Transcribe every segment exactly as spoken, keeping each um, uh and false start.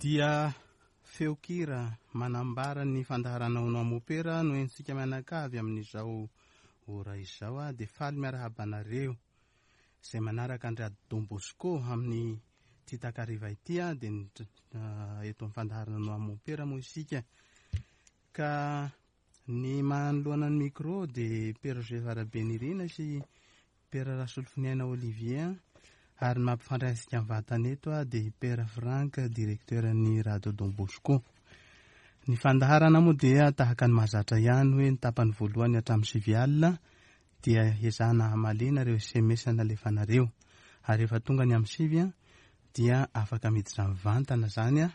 Dia feon-kira manambara ny fandaharana Ono Mopera no entsika mianakavy amin'izao ora izao. A dia faly miarahaba anareo izay manaraka an-dry Don Bosco amin'ny ity takariva ity. A dia eto amin'ny fandaharana Ono Mopera moa isika, ka ny manoloana ny micro dia Père Joseph Rabenirina sy Père Rasolofoniaina Olivier, ary ny mampifandray antsika mivantana eto a dia Père Franck, directeur ny Radio Don Bosco. Ny fandaharana moa dia tahaka ny mahazatra ihany, hoe ny tapany voalohany hatramin'ny sivy alina dia ezahana hamaliana ireo S M S nalefanareo, ary rehefa tonga ny amin'ny sivy a dia afaka miditra mivantana zany a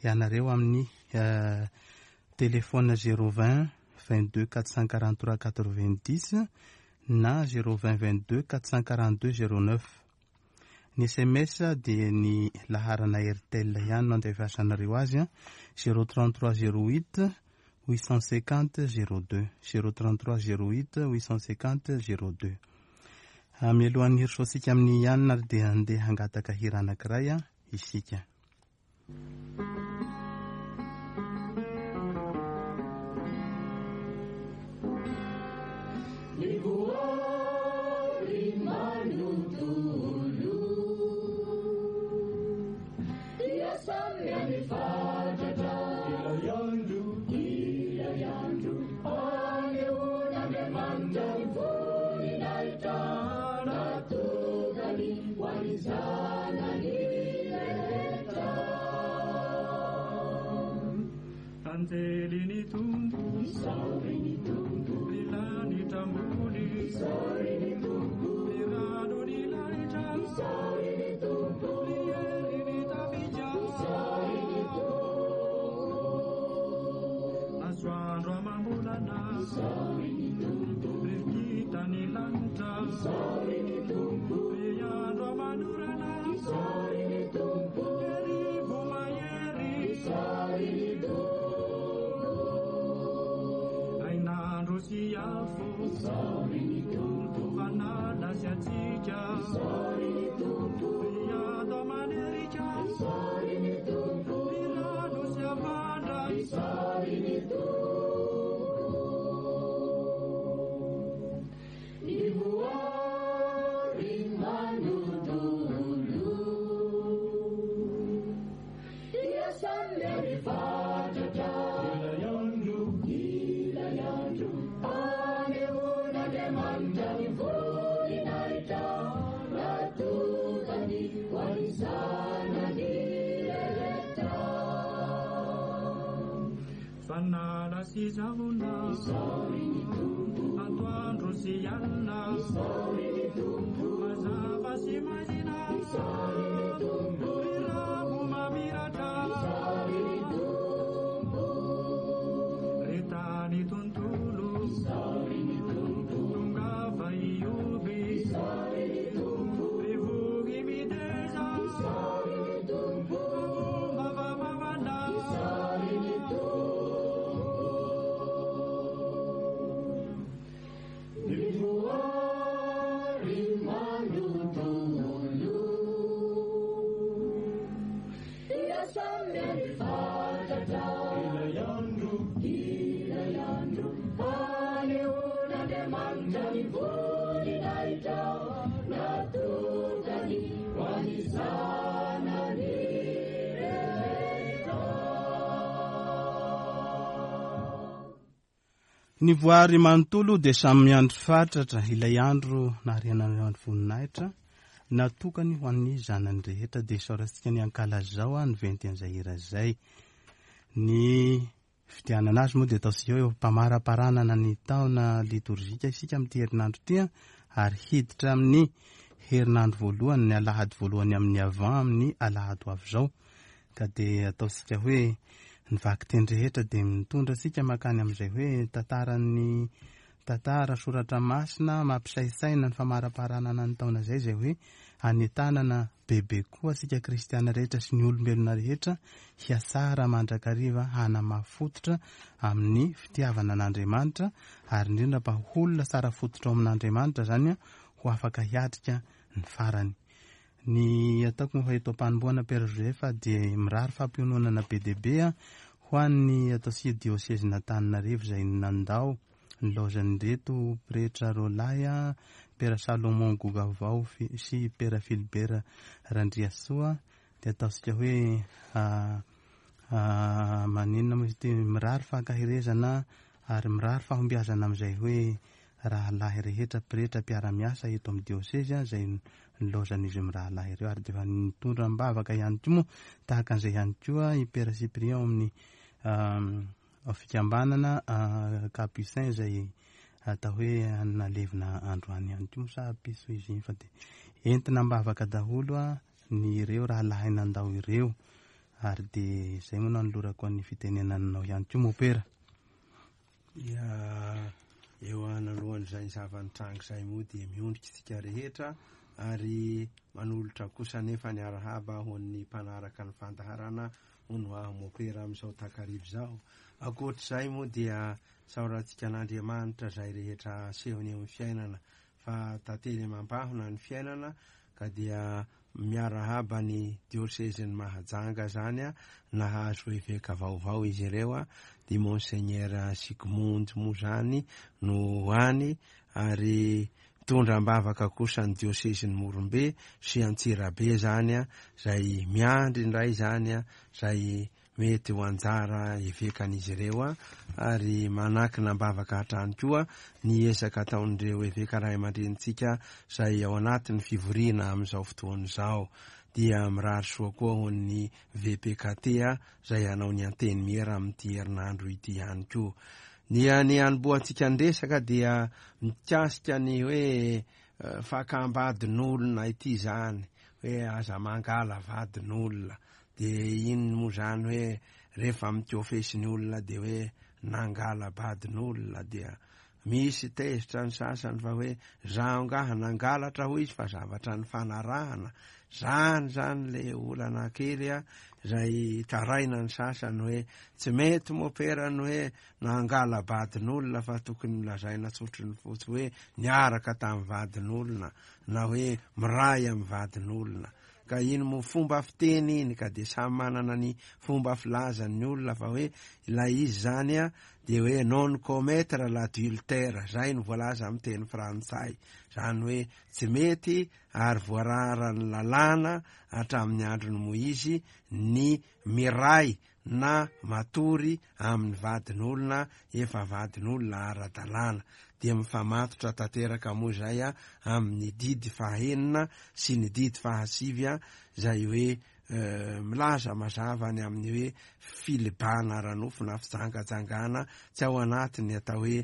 ianareo amin'ny téléphone zéro vingt vingt-deux quatre cent quarante-trois quatre-vingt-dix na zéro vingt vingt-deux quatre cent quarante-deux zéro neuf. Ny S M S dia ny laharana Airtel ihany no andefasanareo azy a zéro trente-trois zéro huit huit cent cinquante zéro deux, zéro trente-trois zéro huit huit cent cinquante zéro deux. Mialohan'ny hirosoantsika amin'ny ihany ary dia andeha hangataka hira anankiray a isika. Ny voary manontolo dia samy miandry fatratra ilay andro naharian'ny voninahitra natokany ho an'ny zanany rehetra. Dia isaorantsika ny ankalazao ny ventin'izay hira izay. Ny fidianana azy moa dia ataontsika hoe mpamaraparanana ny taona litorjika isika amin'ity herinandro ity, ary hiditra amin'ny herinandro voalohany, ny alahady voalohany amin'ny avant amin'ny alahady ho avy izao. Ka dia ataontsika hoe ny vakiteny rehetra dia mitondra antsika mankany amin'izay hoe tantaran'ny tantara soratra masina mampisaintsaina ny famaraparanana ny taona izay, izay hoe anentanana bebe koa antsika kristiana rehetra sy ny olombelona rehetra hiatsara mandrakariva hanamafy fototra amin'ny fitiavana an'Andriamanitra, ary indrindra mba ho olona tsara fototra ao amin'Andriamanitra zany ho afaka hiatrika ny farany. Ny ataoko moa fa eto am-panombohana Père Joseph dia mirary fampiononana be dia be ho an'ny ataontsika diosezin'Antananarivo izay nandao nilaozan'ireto pretra roalahy Père Salomon Gogavao sy Père Philibert Randriasoa dia ataontsika hoe maninona moa izy ity mirary fankaherezana ary mirary fahombiazana amin'izay hoe rahalahy rehetra pretra mpiara-miasa eto amin'ny diosezy izay nilaozan'izy mirahalahy ireo ary dia efa nitondra am-bavaka ihany koa moa tahaka an'izay ihany koa i Père Cyprien ao amin'ny fikambanana Capucin izay atao hoe nalevina androany ihany koa moa sa piso izy iny fa dia entina am-bavaka daholo ny ireo rahalahy nandao ireo ary dia izay moa no anolorako an'ny fitenenanao ihany koa mopera. Ya, eo analohan'izay zava-nitranga izay moa dia miondrika isika rehetra ary manolotra kosa nefa ny arahaba ho an'ny mpanaraka ny fandaharana hono aho mopera amin'izao takariva izao. Ankoatr'izay moa dia saorantsika an'Andriamanitra izay rehetra asehony eo amin'ny fiainana fa tantely mampahona ny fiainana ka dia miarahaba ny diosezin'ny Mahajanga zany a nahazo eveka vaovao izy ireo a di Monseigneur Sigmund moa zany no any ary mitondra am-bavaka kosa ny diosezin'ny Morombe sy Antsirabe zany a zay miandry indray zany a zay mety ho anjara evekan'izy ireo a ary manakina am-bavaka hatrany koa ny ezaka ataon'ireo eveka ray aman-drenintsika zay ao anatin'ny fivoriana amin'izao fotoana izao. Dia mirary soa koa ho an'ny V P K T a zay hanao ny antenimiera amin'ity herinandro ity ihany koa. Ny any anombohantsika ny resaka dia mikasika ny hoe fakam-badin'olona ity zany, hoe aza mangala vadin'olona. Dia iny moa zany hoe rehefa mikofesy ny olona dia hoe nangala vadin'olona dia misy tezitra ny sasany fa hoe zaho ngaha nangalatra hoy izy fa zavatra ny fanarahana. Zany zany le olana kely a zay taraina ny sasany hoe tsy mety moperany hoe nangala vadin'olona fa tokony lazaina tsotry ny fotsy hoe niaraka tamin'ny vadin'olona na hoe miray amin'ny vadin'olona. Ka iny moa fomba fiteny iny ka dia samy manana ny fomba filazan'ny olona fa hoe ilay izy zany a dia hoe non commettre l'adultère, zay no voalaza amin'ny teny frantsay. Zany hoe tsy mety ary voararan'ny lalàna hatramin'ny andron'ny Moizy ny miray na matory amin'ny vadin'olona efa vadin'olona ara-dalàna. Dia mifamatotra tanteraka moa izay a amin'ny didy fahenina sy ny didy fahasivy a zay hoe milaza mazava ny amin'ny hoe filibana ara-nofo na fijangajangana tsy ao anatiny atao hoe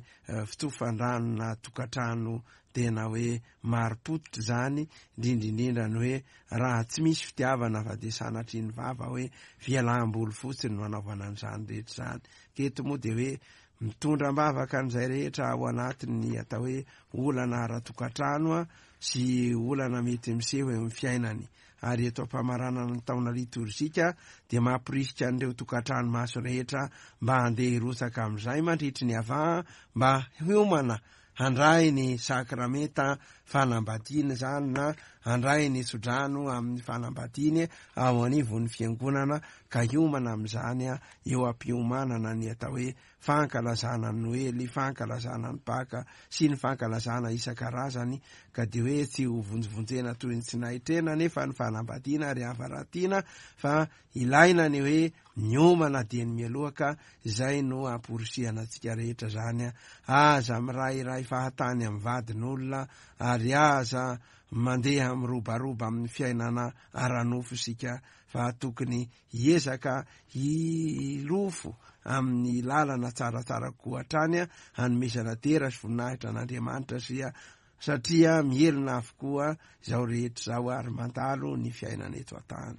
fitsofandrano na tokantrano tena hoe marim-pototra zany, indrindra indrindra ny hoe raha tsy misy fitiavana fa dia sanatria ny vava hoe fialam-boly fotsiny no anaovana an'izany rehetra izany. Keto moa dia hoe mitondra am-bavaka an'izay rehetra ao anatin'ny atao hoe olana ara-tokantrano a sy olana mety miseho eo amin'ny fiainany. Ary eto am-pamaranana ny taona litorjika dia mampirisika an'ireo tokantrano maso rehetra mba handeha hirotsaka amin'izay mandritry ny avaha mba hiomana handray ny sakramenta fanambadiana zany na handray ny tsodrano amin'ny fanambadiany ao anivon'ny fiangonana ka hiomana amin'izany a eo am-piomanana ny atao hoe fankalazana ny Noely, fankalazana ny Paka sy ny fankalazana isan-karazany ka dia hoe tsy ho vonjivonjena toy ny tsy nahitrena nefa ny fanambadiana ary havaratiana fa ilaina ny hoe miomana dieny mialoha ka izay no amporisihana antsika rehetra zany a. Aza mirairay fahatany amin'ny vadin'olona ary aza mandeha mirobaroba amin'ny fiainana ara-nofo isika fa tokony hiezaka hilofo amin'ny lalana tsaratsara kokoa hatrany a hanomezana dera sy voninahitra an'Andriamanitra sia satria mihelina avokoa izao rehetra izao ary mandalo ny fiainana eto an-tany.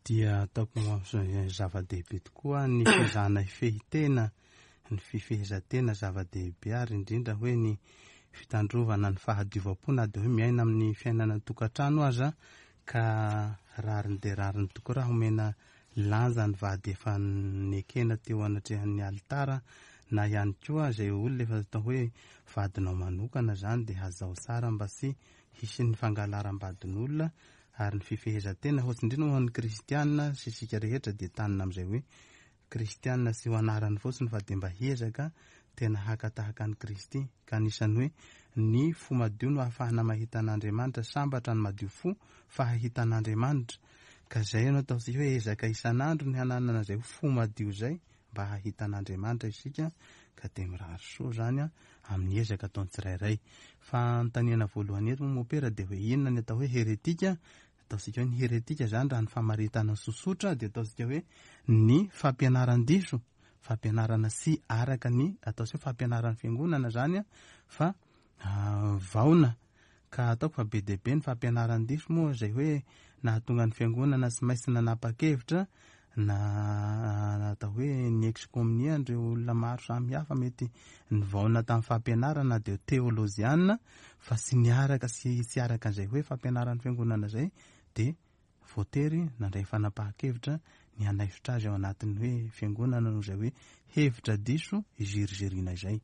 Dia ataoko zava-dehibe tokoa ny fizahana hifehy-tena, ny fifehezan-tena zava-dehibe ary indrindra hoe ny fitandrovana ny fahadiovam-po na dia hoe miaina amin'ny fiainana tokantrano aza ka rariny dia rariny tokoa raha omena lanja ny vady efa nekena teo anatrehan'ny alitara na ihany koa izay olona efa atao hoe vadinao manokana zany dia hazao tsara mba tsy hisy ny fangalaram-badin'olona ary ny fifehezan-tena hoatsy indrindra ho an'ny kristianina sy isika rehetra dia tanina amin'izay hoe kristianina tsy ho anarany fotsiny fa dia mba hiezaka tena haka tahaka an'i Kristy ka anisan'ny hoe ny fo madio no ahafahana mahita an'Andriamanitra, sambatra ny madio fo fa hahita an'Andriamanitra ka izay no ataontsika hoe ezaka isan'andro ny hananana izay fo madio izay mba hahita an'Andriamanitra isika ka dia mirary soa zany a amin'ny ezaka ataon'ny tsirairay. Fa anontaniana voalohany eto moa mopera dia hoe inona ny atao hoe heretika? Ataontsika hoe ny heretika zany raha ny famaritana sosotra dia ataontsika hoe ny fampianaran-diso, fampianarana sy araka ny ataontsika hoe fampianaran'ny fiangonana zany a fa vaona ka ataoko fa be dia be ny fampianaran-diso moa izay hoe nahatonga ny fiangonana tsy maintsy nanapa-kevitra na atao hoe ny excommunier ireo olona maro samihafa mety nivaona tamin'ny fampianarana dia teolojiana fa tsy niaraka sy tsy araka an'izay hoe fampianaran'ny fiangonana izay dia voatery nandray fanapahan-kevitra ny hanaisotra azy ao anatin'ny hoe fiangonana noho izay hoe hevitra diso iziriziriana izay.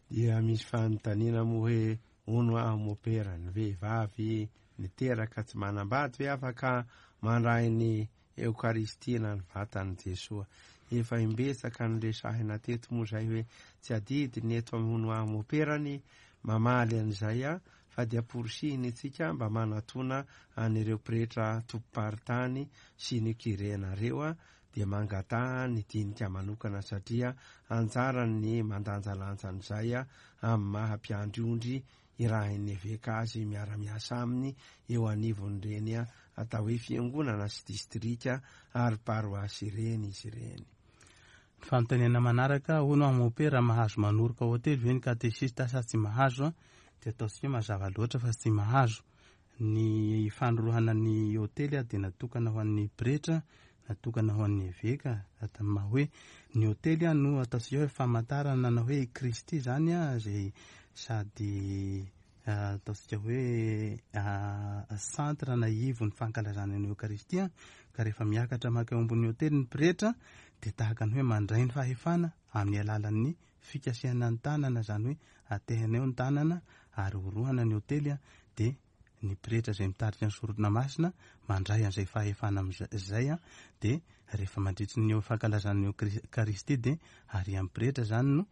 Dia misy fanontaniana moa hoe hono aho mopera ny vehivavy niteraka tsy manambady ve afaka mandray ny Eokaristia na ny vatan'i Jesoa? Efa imbetsaka ny resahina teto moa izay hoe tsy adidy ny eto amin'ny hono aho mopera ny mamaly an'izay a fa dia porisihiny isika mba manatona an'ireo pretra tompom-paritany sy ny kirenareo a dia mangataha ny dinika manokana satria anjarany mandanjalanja an'izay a amin'ny maha mpiandry ondry irahin'ny eveka azy miara-miasa aminy eo anivon'ireny a atao hoe fiangonana sy distrika ary paroasy ireny izy ireny. Fanontaniana manaraka, hono aho mopera mahazo manoroka hotely ve ny katesista sa tsy mahazo? Dia ataontsika mazava loatra fa tsy mahazo. Ny fanorohana ny hotely dia natokana ho an'ny pretra, natokana ho an'ny eveka, tamin'ny maha hoe ny hotely no ataontsika hoe famantarana na hoe Kristy zany a izay sady ataontsika hoe centre na ivon'ny fankalazana ny Eokaristia ka rehefa miakatra maka eo ambony hotely ny pretra dia tahaka ny hoe mandray ny fahefana amin'ny alalan'ny fikasihana ny tanana, zany hoe atehana eo ny tanana ary orohana ny hotely a dia ny pretra izay mitarika ny sorona masina mandray an'izay fahefana amin'izay a dia rehefa mandritry ny fankalazana ny Eokaristia dia ary amin'ny pretra zany no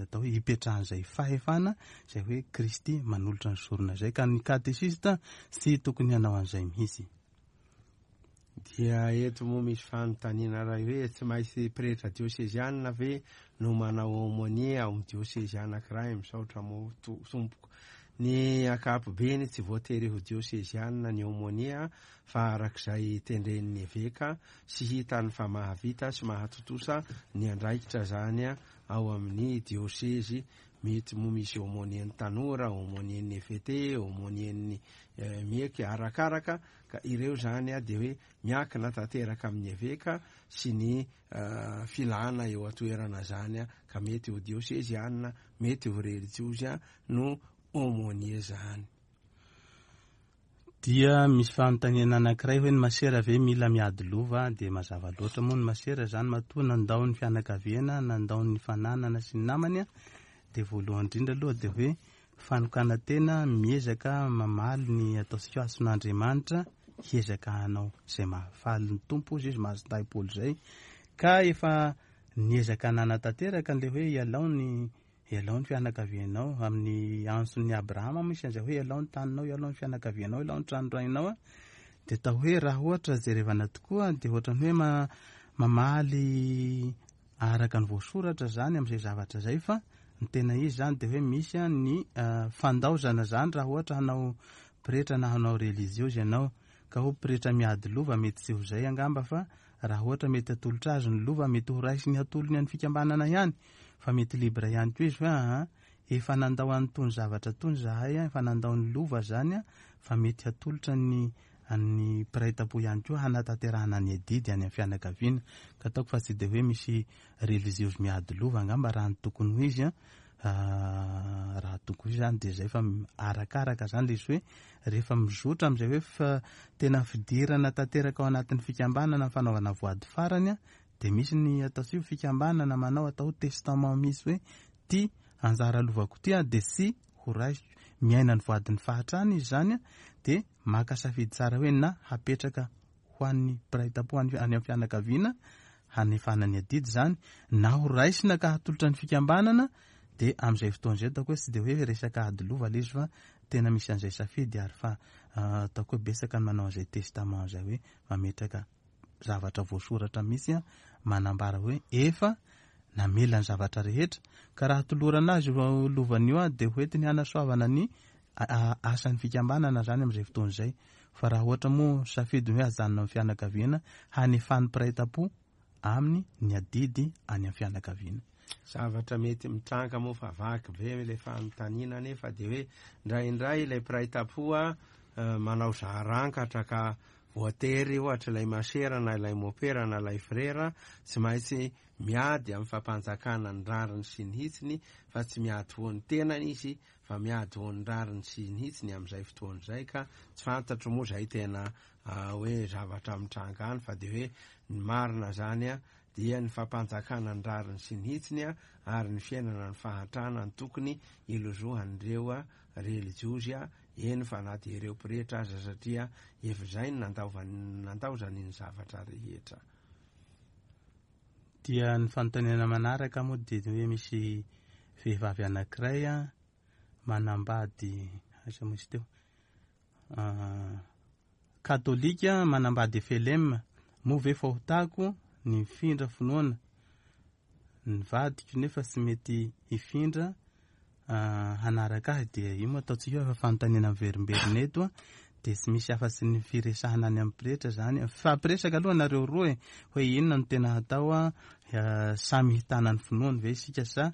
atao hoe hipetrahan'izay fahefana izay hoe Kristy manolotra ny sorona izay ka ny katesista tsy tokony hanao an'izay mihitsy. Dia eto moa misy fanontaniana iray hoe tsy maintsy pretra diosezianina ve no manao aumônier ao amin'ny diosezy anankiray? Misaotra moa tompoko. Ny ankapobeny tsy voatery ho diosezianina ny aumônier fa arak'izay tendren'ny eveka sy hitany fa mahavita sy mahatontosa ny andraikitra zany ao amin'ny diosezy. Mety moa misy aumônier-n'ny tanora, aumônier-n'ny E V T, aumônier-n'ny mieky arakaraka ka ireo zany a dia hoe miankina tanteraka amin'ny eveka sy ny filana eo an-toerana zany a ka mety ho diosezianina, mety ho relijiozy no aumônier zany. Dia misy fanontaniana anankiray hoe ny masera ve mila miady lova? Dia mazava loatra moa ny masera zany matoa nandao ny fianakaviana, nandao ny fananana sy ny namany a dia voalohany indrindra aloha dia hoe fanokanan-tena miezaka mamaly ny ataontsika hason'Andriamanitra, hiezaka hanao izay mahafaly ny Tompo izy, izy mahazo Paoly izay ka efa niezaka nanatanteraka an'ilay hoe ialao ny ialao ny fianakavianao amin'ny antson'ny Abrahama misy an'izay hoe ialao ny taninao, ialao ny fianakavianao, ialao ny tranorainao a dia atao hoe raha ohatra jerevana tokoa dia ohatran'ny hoe ma-, mamaly araka ny voasoratra zany amin'izay zavatra izay fa ny tena izy zany dia hoe misy a ny fandaozana zany raha ohatra hanao pretra na hanao relijiozy ianao ka ho pretra miady lova mety tsy ho izay angamba fa raha ohatra mety atolotra azy ny lova mety ho raisiny atolony any fikambanana ihany fa mety libre ihany koa izy hoe aha efa nandao an'itony zavatra tony zahay a, efa nandao ny lova zany a fa mety hatolotra ny an'ny mpiray tampo ihany koa hanatanterahana ny adidy any amin'ny fianakaviana ka ataoko fa tsy dia hoe misy relijiozy miady lova angamba raha ny tokony ho izy a raha tokony ho izy zany dia izay fa arakaraka zany ilay izy hoe rehefa mizotra amin'izay hoe fa tena fidirana tanteraka ao anatin'ny fikambanana ny fanaovana voady farany a De misy ny ataontsika fikambanana manao atao testament misy hoe ty anjara lovako ty a de sy ho raisiko, miaina ny voadin'ny fahatrana izy zany a, de maka safidy tsara hoe na hapetraka ho an'ny mpiray tampo any amin'ny fianakaviana hanefana ny adidy zany, na ho raisina ka hatolotra ny fikambanana. De amin'izay fotoana izay ataoko hoe tsy de hoe resaka ady lova le izy fa tena misy an'izay safidy, ary fa ataoko hoe betsaka ny manao an'izay testament zay hoe mametraka zavatra voasoratra mihitsy a, manambara hoe efa namela ny zavatra rehetra, ka raha tolorana azy lovany io a de hoentiny hanasoavana ny asan'ny fikambanana zany amin'izay fotoana izay. Fa raha ohatra moa safidy hoe ajanona amin'ny fianakaviana, hanefan'ny mpiray tampo aminy ny adidy any amin'ny fianakaviana. Zavatra mety mitranga moa fa vaky be le fanontaniana, nefa de hoe indraindray ilay mpiray tampo a manao zarankatra ka voatery ohatra ilay masera na ilay mopera na ilay frera tsy maintsy miady amin'ny fampanjakana ny rariny sy ny hitsiny, fa tsy miady ho an'ny tenany izy fa miady ho an'ny rariny sy ny hitsiny amin'izay fotoana izay. Ka tsy fantatro moa zay tena hoe zavatra mitranga any, fa de hoe ny marina zany a dia ny fampanjakana ny rariny sy ny hitsiny a ary ny fiainana ny fahantrana ny tokony ilozohan'ireo a relijiozy a, eny fa na dia ireo pretra aza, satria efa izay no nandaovany nandaozany ny zavatra rehetra. Dia ny fanontaniana manaraka moa dia hoe misy vehivavy anankiray a manambady, aiza moa izy teo, katolika manambady F L M, moa ve fahotako ny mifindra finoana ny vadiko nefa tsy mety hifindra hanaraka ahy? Dia io moa ataontsika hoe efa fanontaniana miverimberina eto a, de tsy misy afa-tsy ny firesahana any amin'ny pretra zany. Fampiresaka aloha nareo roa e, hoe inona no tena hatao a, samy hitana ny finoany ve isika sa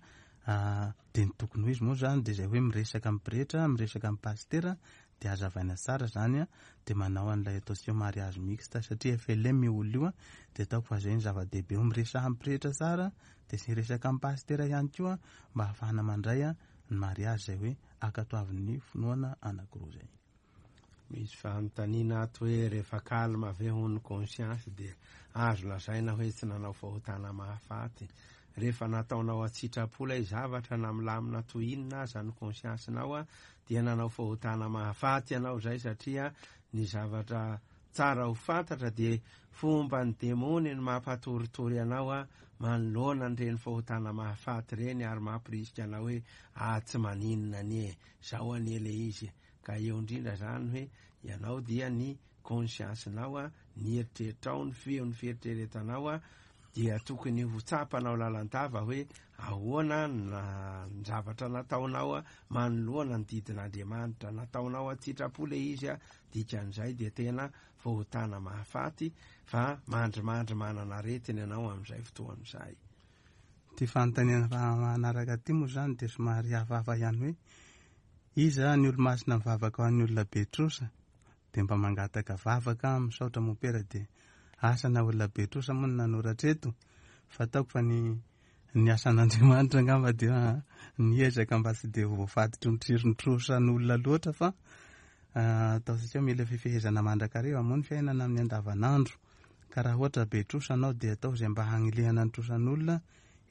de ny tokony ho izy moa zany de zay hoe miresaka amin'ny pretra, miresaka amin'ny pastera, de azavaina tsara zany a, de manao an'ilay ataontsika hoe mariage mixte, satria F L M io olona io a, de ataoko fa zay ny zava-dehibe, hoe miresaha amin'ny pretra tsara, de sy miresaka amin'ny pastera ihany koa mba ahafahana mandray a ny mariage zay hoe ankatoavin'ny finoana anankiroa zay. Misy fanontaniana ato hoe rehefa calme ve hono conscience de azo lazaina hoe tsy nanao fahotana mahafaty. Rehefa nataonao an-tsitrapo ilay zavatra na milamina toy inona aza ny conscience-nao a, dia nanao fahotana mahafaty ianao zay, satria ny zavatra tsara ho fantatra dia fomba ny demony ny mampatoritory anao a manoloana an'ireny fahotana mahafaty ireny, ary mampirisika anao hoe ah tsy maninona anie, zao anie le izy. Ka eo indrindra zany hoe ianao dia ny conscience-nao a, ny eritreritrao, ny feo ny fieritreretanao a, dia tokony ho tsapanao lalandava hoe ahoana na ny zavatra nataonao a manoloana ny didin'Andriamanitra nataonao an-tsitrapo le izy a, dikan'izay dia tena fahotana mahafaty fa mandrimandry manana aretina ianao amin'izay fotoana izay. Ty fanontaniana manaraka ty moa zany dia somary hafahafa ihany hoe iza ny olo-masina mivavaka ho an'ny olona be trosa, dia mba mangataka vavaka misaotra mopera, dia asa na olona be trosa moa no nanoratra eto, fa ataoko fa ny, ny asan'Andriamanitra angamba dia niezaka mba tsy dia voafaditry ny tsiron'ny trosan'olona loatra, fa ataontsika hoe mila fifehezana mandrakariva moa ny fiainana amin'ny andavanandro. Ka raha ohatra be trosa anao dia atao izay mba hanilihana ny trosan'olona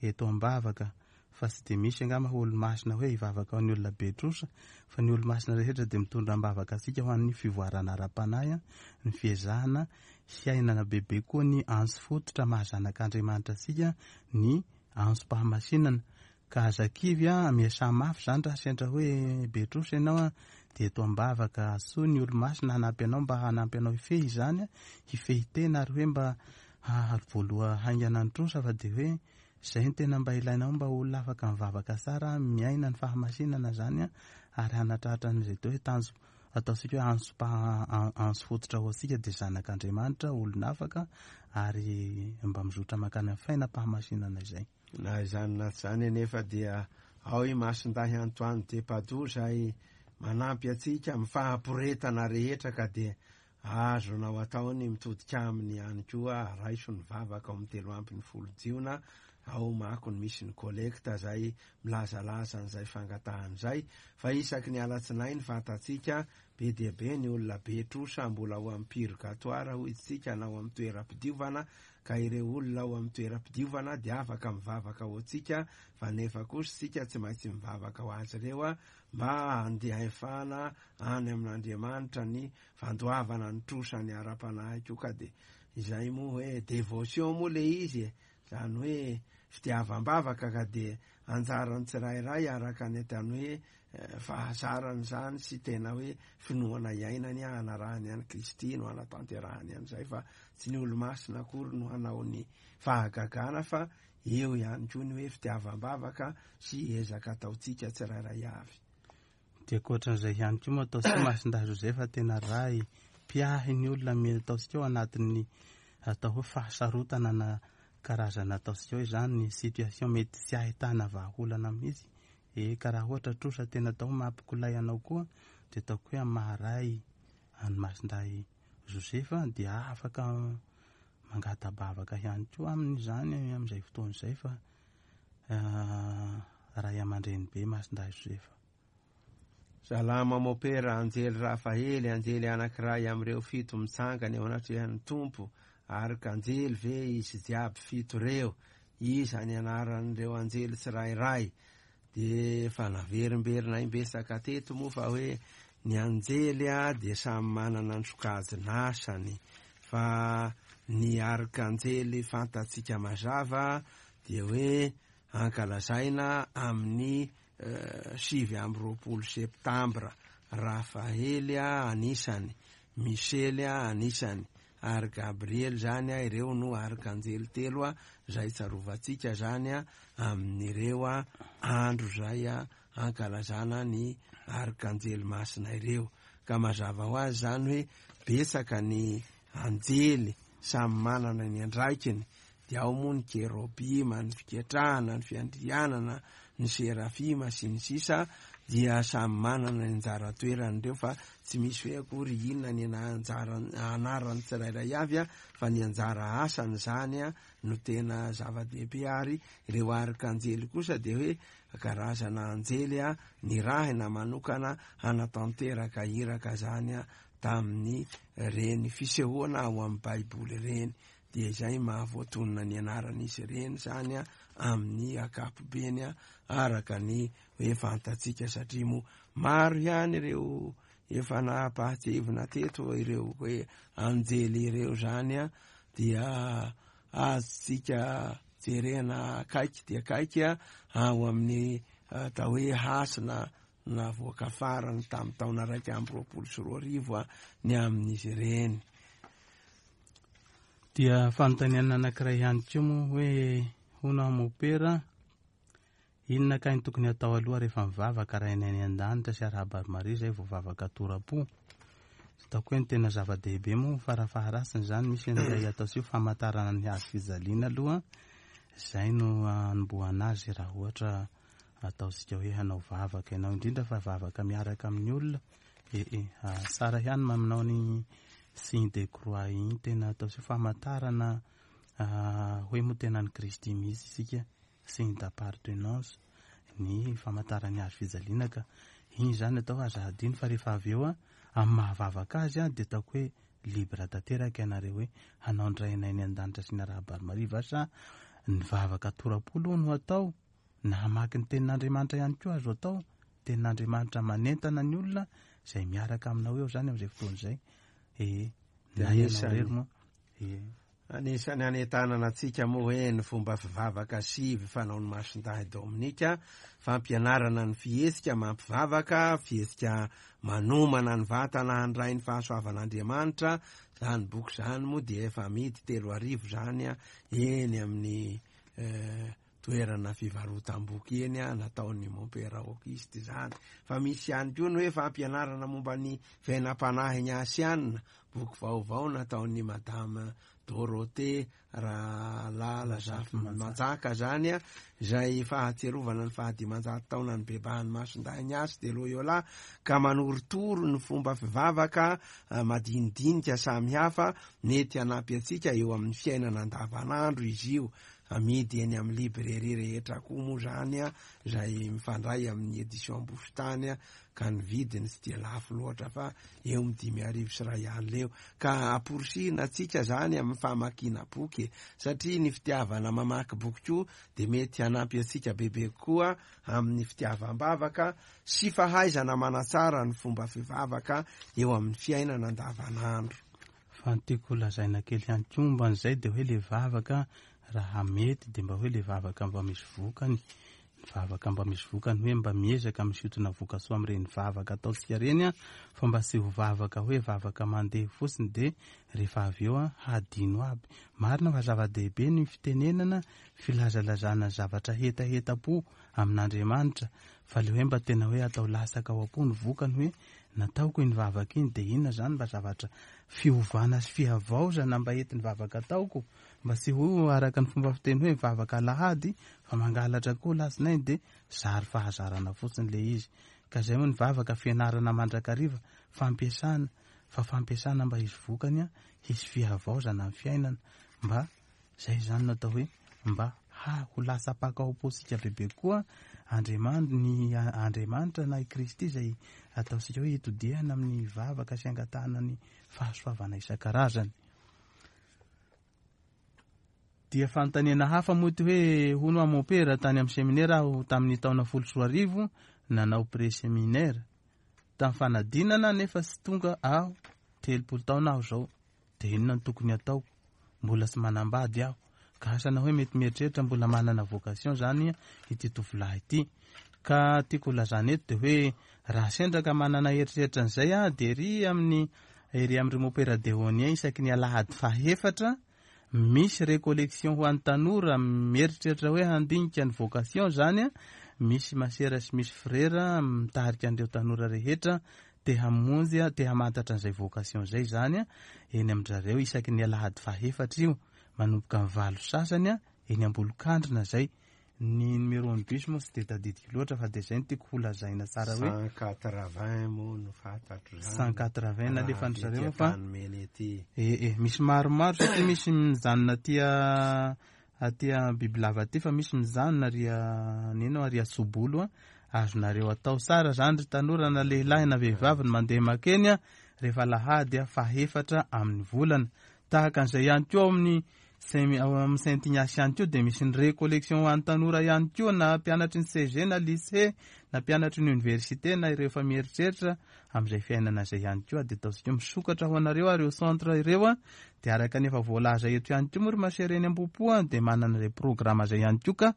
eto am-bavaka, fa tsy dia misy angamba ho olo-masina hoe hivavaka ho an'ny olona be trosa, fa ny olo-masina rehetra dia mitondra am-bavaka antsika ho an'ny fivoarana ara-panahy, ny fiezahana hiainana bebe koa ny antso fototra maha zanak'Andriamanitra antsika, ny antsom-pahamasinana. Ka aza kivy a, miasa mafy zany raha sendra hoe be trosa ianao a, dia eto am-bavaka soa ny olo-masina hanampy anao mba hanampy anao hifehy izany a, hifehy tena, ary hoe mba hahavoaloha haingana ny trosa, fa dia hoe zay ny tena mba ilainao mba olona afaka mivavaka tsara, miaina ny fahamasinana zany a, ary hanatratra an'izay atao hoe tanjo, ataontsika hoe antso-pa-, antso fototra ho antsika dia zanak'Andriamanitra, olona afaka, ary mba mizotra mankany amin'ny fiainam-pahamasinana izay. Na izany na tsy izany anefa dia ao i Masindahy Antoine de Padoue izay manampy antsika amin'ny fahaporetana rehetra, ka dia azonao atao ny mitodika aminy ihany koa. Raiso ny vavaka ao amin'ny telo amby ny folo jiona, ao mako ny misy ny kolekta izay milazalaza an'izay fangatahana izay, fa isaky ny alatsinainy fantatsika Be dia be ny olona be trosa mbola ao amin'ny purgatoire hoy isika, na ao amin'ny toeram-pidiovana, ka ireo olona ao amin'ny toeram-pidiovana dia afaka mivavaka ho antsika, fa nefa kosa isika tsy maintsy mivavaka ho azy ireo a, mba handehafana any amin'Andriamanitra ny fandoavana ny trosa ny ara-panahy koa. Ka dia izay moa hoe dévotion moa le izy e, zany hoe fitiavam-bavaka, ka dia anjaran'ny tsirairay araka ny ataony hoe fahazarany zany sy tena hoe finoana iainany anarahany any Kristy no anatanterahany an'izay, fa tsy ny olo-masina akory no hanao ny fahagagana, fa eo ihany koa ny hoe fitiavam-bavaka sy ezaka ataontsika tsirairay avy. Dia ankoatran'izay ihany koa moa ataontsika Masindahy Josefa tena ray mpiahy ny olona mety ataontsika ao anatin'ny atao hoe fahasarotana na karazana ataontsika hoe zany ny situation mety tsy ahitana vahaolana mihitsy. E ka raha ohatra trosa tena atao mampikolay anao koa dia ataoko hoe maharay any Masindahy Josefa dia afaka mangata-bavaka ihany koa amin'izany amin'izay fotoana izay, fa ray aman-dreny be Masindahy Josefa. Salama mopera, anjely Rafaely, anjely anankiray amin'ireo fito mitsangana eo anatrehan'ny Tompo, arkanjely ve izy jiaby fito reo? Iza ny anaran'ireo anjely tsirairay? Dia efa naverimberina imbetsaka teto moa fa hoe ny anjely a dia samy manana ny sokajin'asany, fa ny arkanjely fantatsika mazava dia hoe ankalazaina amin'ny sivy amby roapolo septambra. Rafaely a anisany, Misely a anisany, ary Gabriel zany a, ireo no arkanjely telo a zay tsarovantsika zany a amin'ireo a andro zay a ankalazana ny arkanjely masina ireo. Ka mazava ho azy zany hoe betsaka ny anjely samy manana ny andraikiny, dia ao moa ny kerobima, ny fiketrahana, ny fiandrianana, ny serafima sy ny sisa, dia samy manana ny anjara toerany ireo, fa tsy misy hoe akory inona ny anjara anarany tsirairay avy a, fa ny anjara asany zany a no tena zava-dehibe. Ary ireo arkanjely kosa dia hoe karazana anjely a nirahina manokana hanatanteraka iraka zany a tamin'ny reny fisehoana ao amin'ny Baiboly ireny, dia izay mahavoatonona ny anaran'izy ireny zany a amin'ny ankapobeny a araka ny hoe fantatsika, satria moa maro ihany ireo efa nampahatsiahivina teto ireo hoe anjely ireo zany a, dia azontsika jerena akaiky dia akaiky a ao amin'ny atao hoe hasina navoaka farany tamin'ny taona raika amby roapolo sy roa arivo a ny amin'izy ireny. Dia fanontaniana anankiray ihany koa moa hoe hono mopera, inona ka ny tokony atao aloha rehefa mivavaka raha eny an-danitra sy arahaba Maria izay vao vavaka tora-po? Ataoko hoe ny tena zava-dehibe moa farafaharatsiny zany misy an'ilay atao sy famantarana ny hazo fijaliana aloha, izay no anombohana azy raha ohatra ataontsika hoe hanao vavaka ianao, indrindra fa vavaka miaraka amin'ny olona. E e tsara ihany maminao ny signe de croix iny, tena atao sy famantarana hoe moa tena ny Kristy mihitsy isika, signe d'appartenance ny famantarany hazo fijaliana, ka iny zany atao aza hadino. Fa rehefa avy eo a amin'ny mahavavaka azy a dia ataoko hoe libre tanteraka ianareo hoe hanao ny Rainay any an-danitra sy ny arahaba Maria, va sa ny vavaka tora-polo no atao, na hamaky ny tenin'Andriamanitra ihany koa azo atao, tenin'Andriamanitra manentana ny olona izay miaraka aminao eo zany amin'izay fotoana izay. E na ianao irery moa. E Anisany anentanana antsika moa hoe ny fomba fivavaka sivy fanaon'ny Masindahy Dominika, fampianarana ny fihetsika mampivavaka, fihetsika manomana ny vatana handray ny fahasoavan'Andriamanitra. Zany boky zany moa dia efa amidy telo arivo zany a eny amin'ny eh, toerana fivarotam-boky eny a nataon'ny Mompera Auguste zany. Fa misy ihany koa ny hoe fampianarana momba ny fiainam-panahy ny Asiana, boky vaovao nataon'ny Madame Dorothée Rahalala Zafimanjaka zany a, izay fahatsiarovana ny fahadimanjato taona ny bebahan'ny Masindahy Ignace de Loyola, ka manorotoro ny fomba fivavaka madinidinika samihafa mety hanampy antsika eo amin'ny fiainana andavanandro izy io. amidy eny amin'ny librairie rehetra koa moa zany a, zay mifandray amin'ny édition Bositany a, ka ny vidiny tsy dia lafo loatra fa eo amin'ny dimy arivo sy iray alina eo. Ka amporisihina antsika zany amin'ny famakiana boky, satria ny fitiavana mamaky boky koa de mety hanampy antsika bebe kokoa amin'ny fitiavam-bavaka sy fahaizana manatsara ny fomba fivavaka eo amin'ny fiainana andavanandro. Fa ny tiako lazaina kely ihany koa momba an'izay de hoe le vavaka raha mety de mba hoe le vavaka mba misy vokany, vavaka mba misy vokany hoe mba miezaka misintona vokasoa amin'ireny vavaka ataontsika ireny a, fa mba tsy ho vavaka hoe vavaka mandeha fotsiny de rehefa avy eo a hadino aby. Marina fa zava-dehibe ny fitenenana, filazalazana zavatra hetaheta-po amin'Andriamanitra, fa le hoe mba tena hoe atao lasaka ao am-po ny vokany hoe nataoko iny vavaka iny de inona zany mba zavatra fiovana sy fihavaozana mba entin'ny vavaka ataoko, mba tsy ho araka ny fomba fiteny hoe vavaka alahady fa mangalatra koa lasinainy de zary fahazarana fotsiny le izy. Ka zay moa ny vavaka fianarana mandrakariva, fampiasana, fa fampiasana mba hisy vokany a, hisy fihavaozana amin'ny fiainana, mba zay zany no atao hoe mba ha ho lasa mpaka ao am-pontsika bebe koa Andriamanitra, ny Andriamanitra na i Kristy izay ataontsika hoe hitodihana amin'ny vavaka sy angatahana ny fahasoavana isan-karazany. Dia fanontaniana hafa moa ty hoe hono aho mompera tany amin'ny seminera aho tamin'ny taona folo sy roa arivo nanao pré-séminaire tamin'ny fanadinana nefa tsy tonga aho, telopolo taona aho zao, de inona no tokony ataoko? Mbola tsy manambady aho. Ka asana hoe mety mieritreritra mbola manana vocation zany ity tovolahy ity. Ka tiako lazana eto de hoe raha sendra ka manana eritreritra an'izay a, de ery amin'ny ery amin'ny mompera Déonien isaky ny alahady fahefatra misy récollection ho an'ny tanora mieritreritra hoe handinika ny vocation zany a, misy masera sy misy frera mitarika an'ireo tanora rehetra te hamonjy a, te hamantatra an'izay vocation zay zany a, eny amin-drareo isaky ny alahady fahefatra io manomboka amin'ny valo sasany a, eny Ambolokandrina zay. Ny numéro ny bus moa tsy de tadidiko loatra fa de zay no tiako ho lazaina tsara hoe cent quatre-vingts moa no fantatro zany. cent quatre-vingts nalefan'ny zareo fa Anmeny ety. E, e, misy maromaro satria misy mijanona aty aty Bibilava aty fa misy mijanona ary nino ary Asobolo a, azonareo atao tsara zany ry tanora na lehilahy na vehivavy ny mandeha makeny a, rehefa alahady a fahefatra amin'ny volana. Tahaka an'izay ihany koa amin'ny Saint, ao amin'ny Saint Ignace ihany koa de misy ny récollection ho an'ny tanora ihany koa, na mpianatry ny C G na lycée na mpianatry ny université na ireo efa mieritreritra amin'izay fiainana izay ihany koa, de ataontsika hoe misokatra ho anareo ireo centre ireo a, de araka ny efa voalaza eto ihany koa moa ry masera eny Ambohipo a, de manana izay programme izay ihany koa ka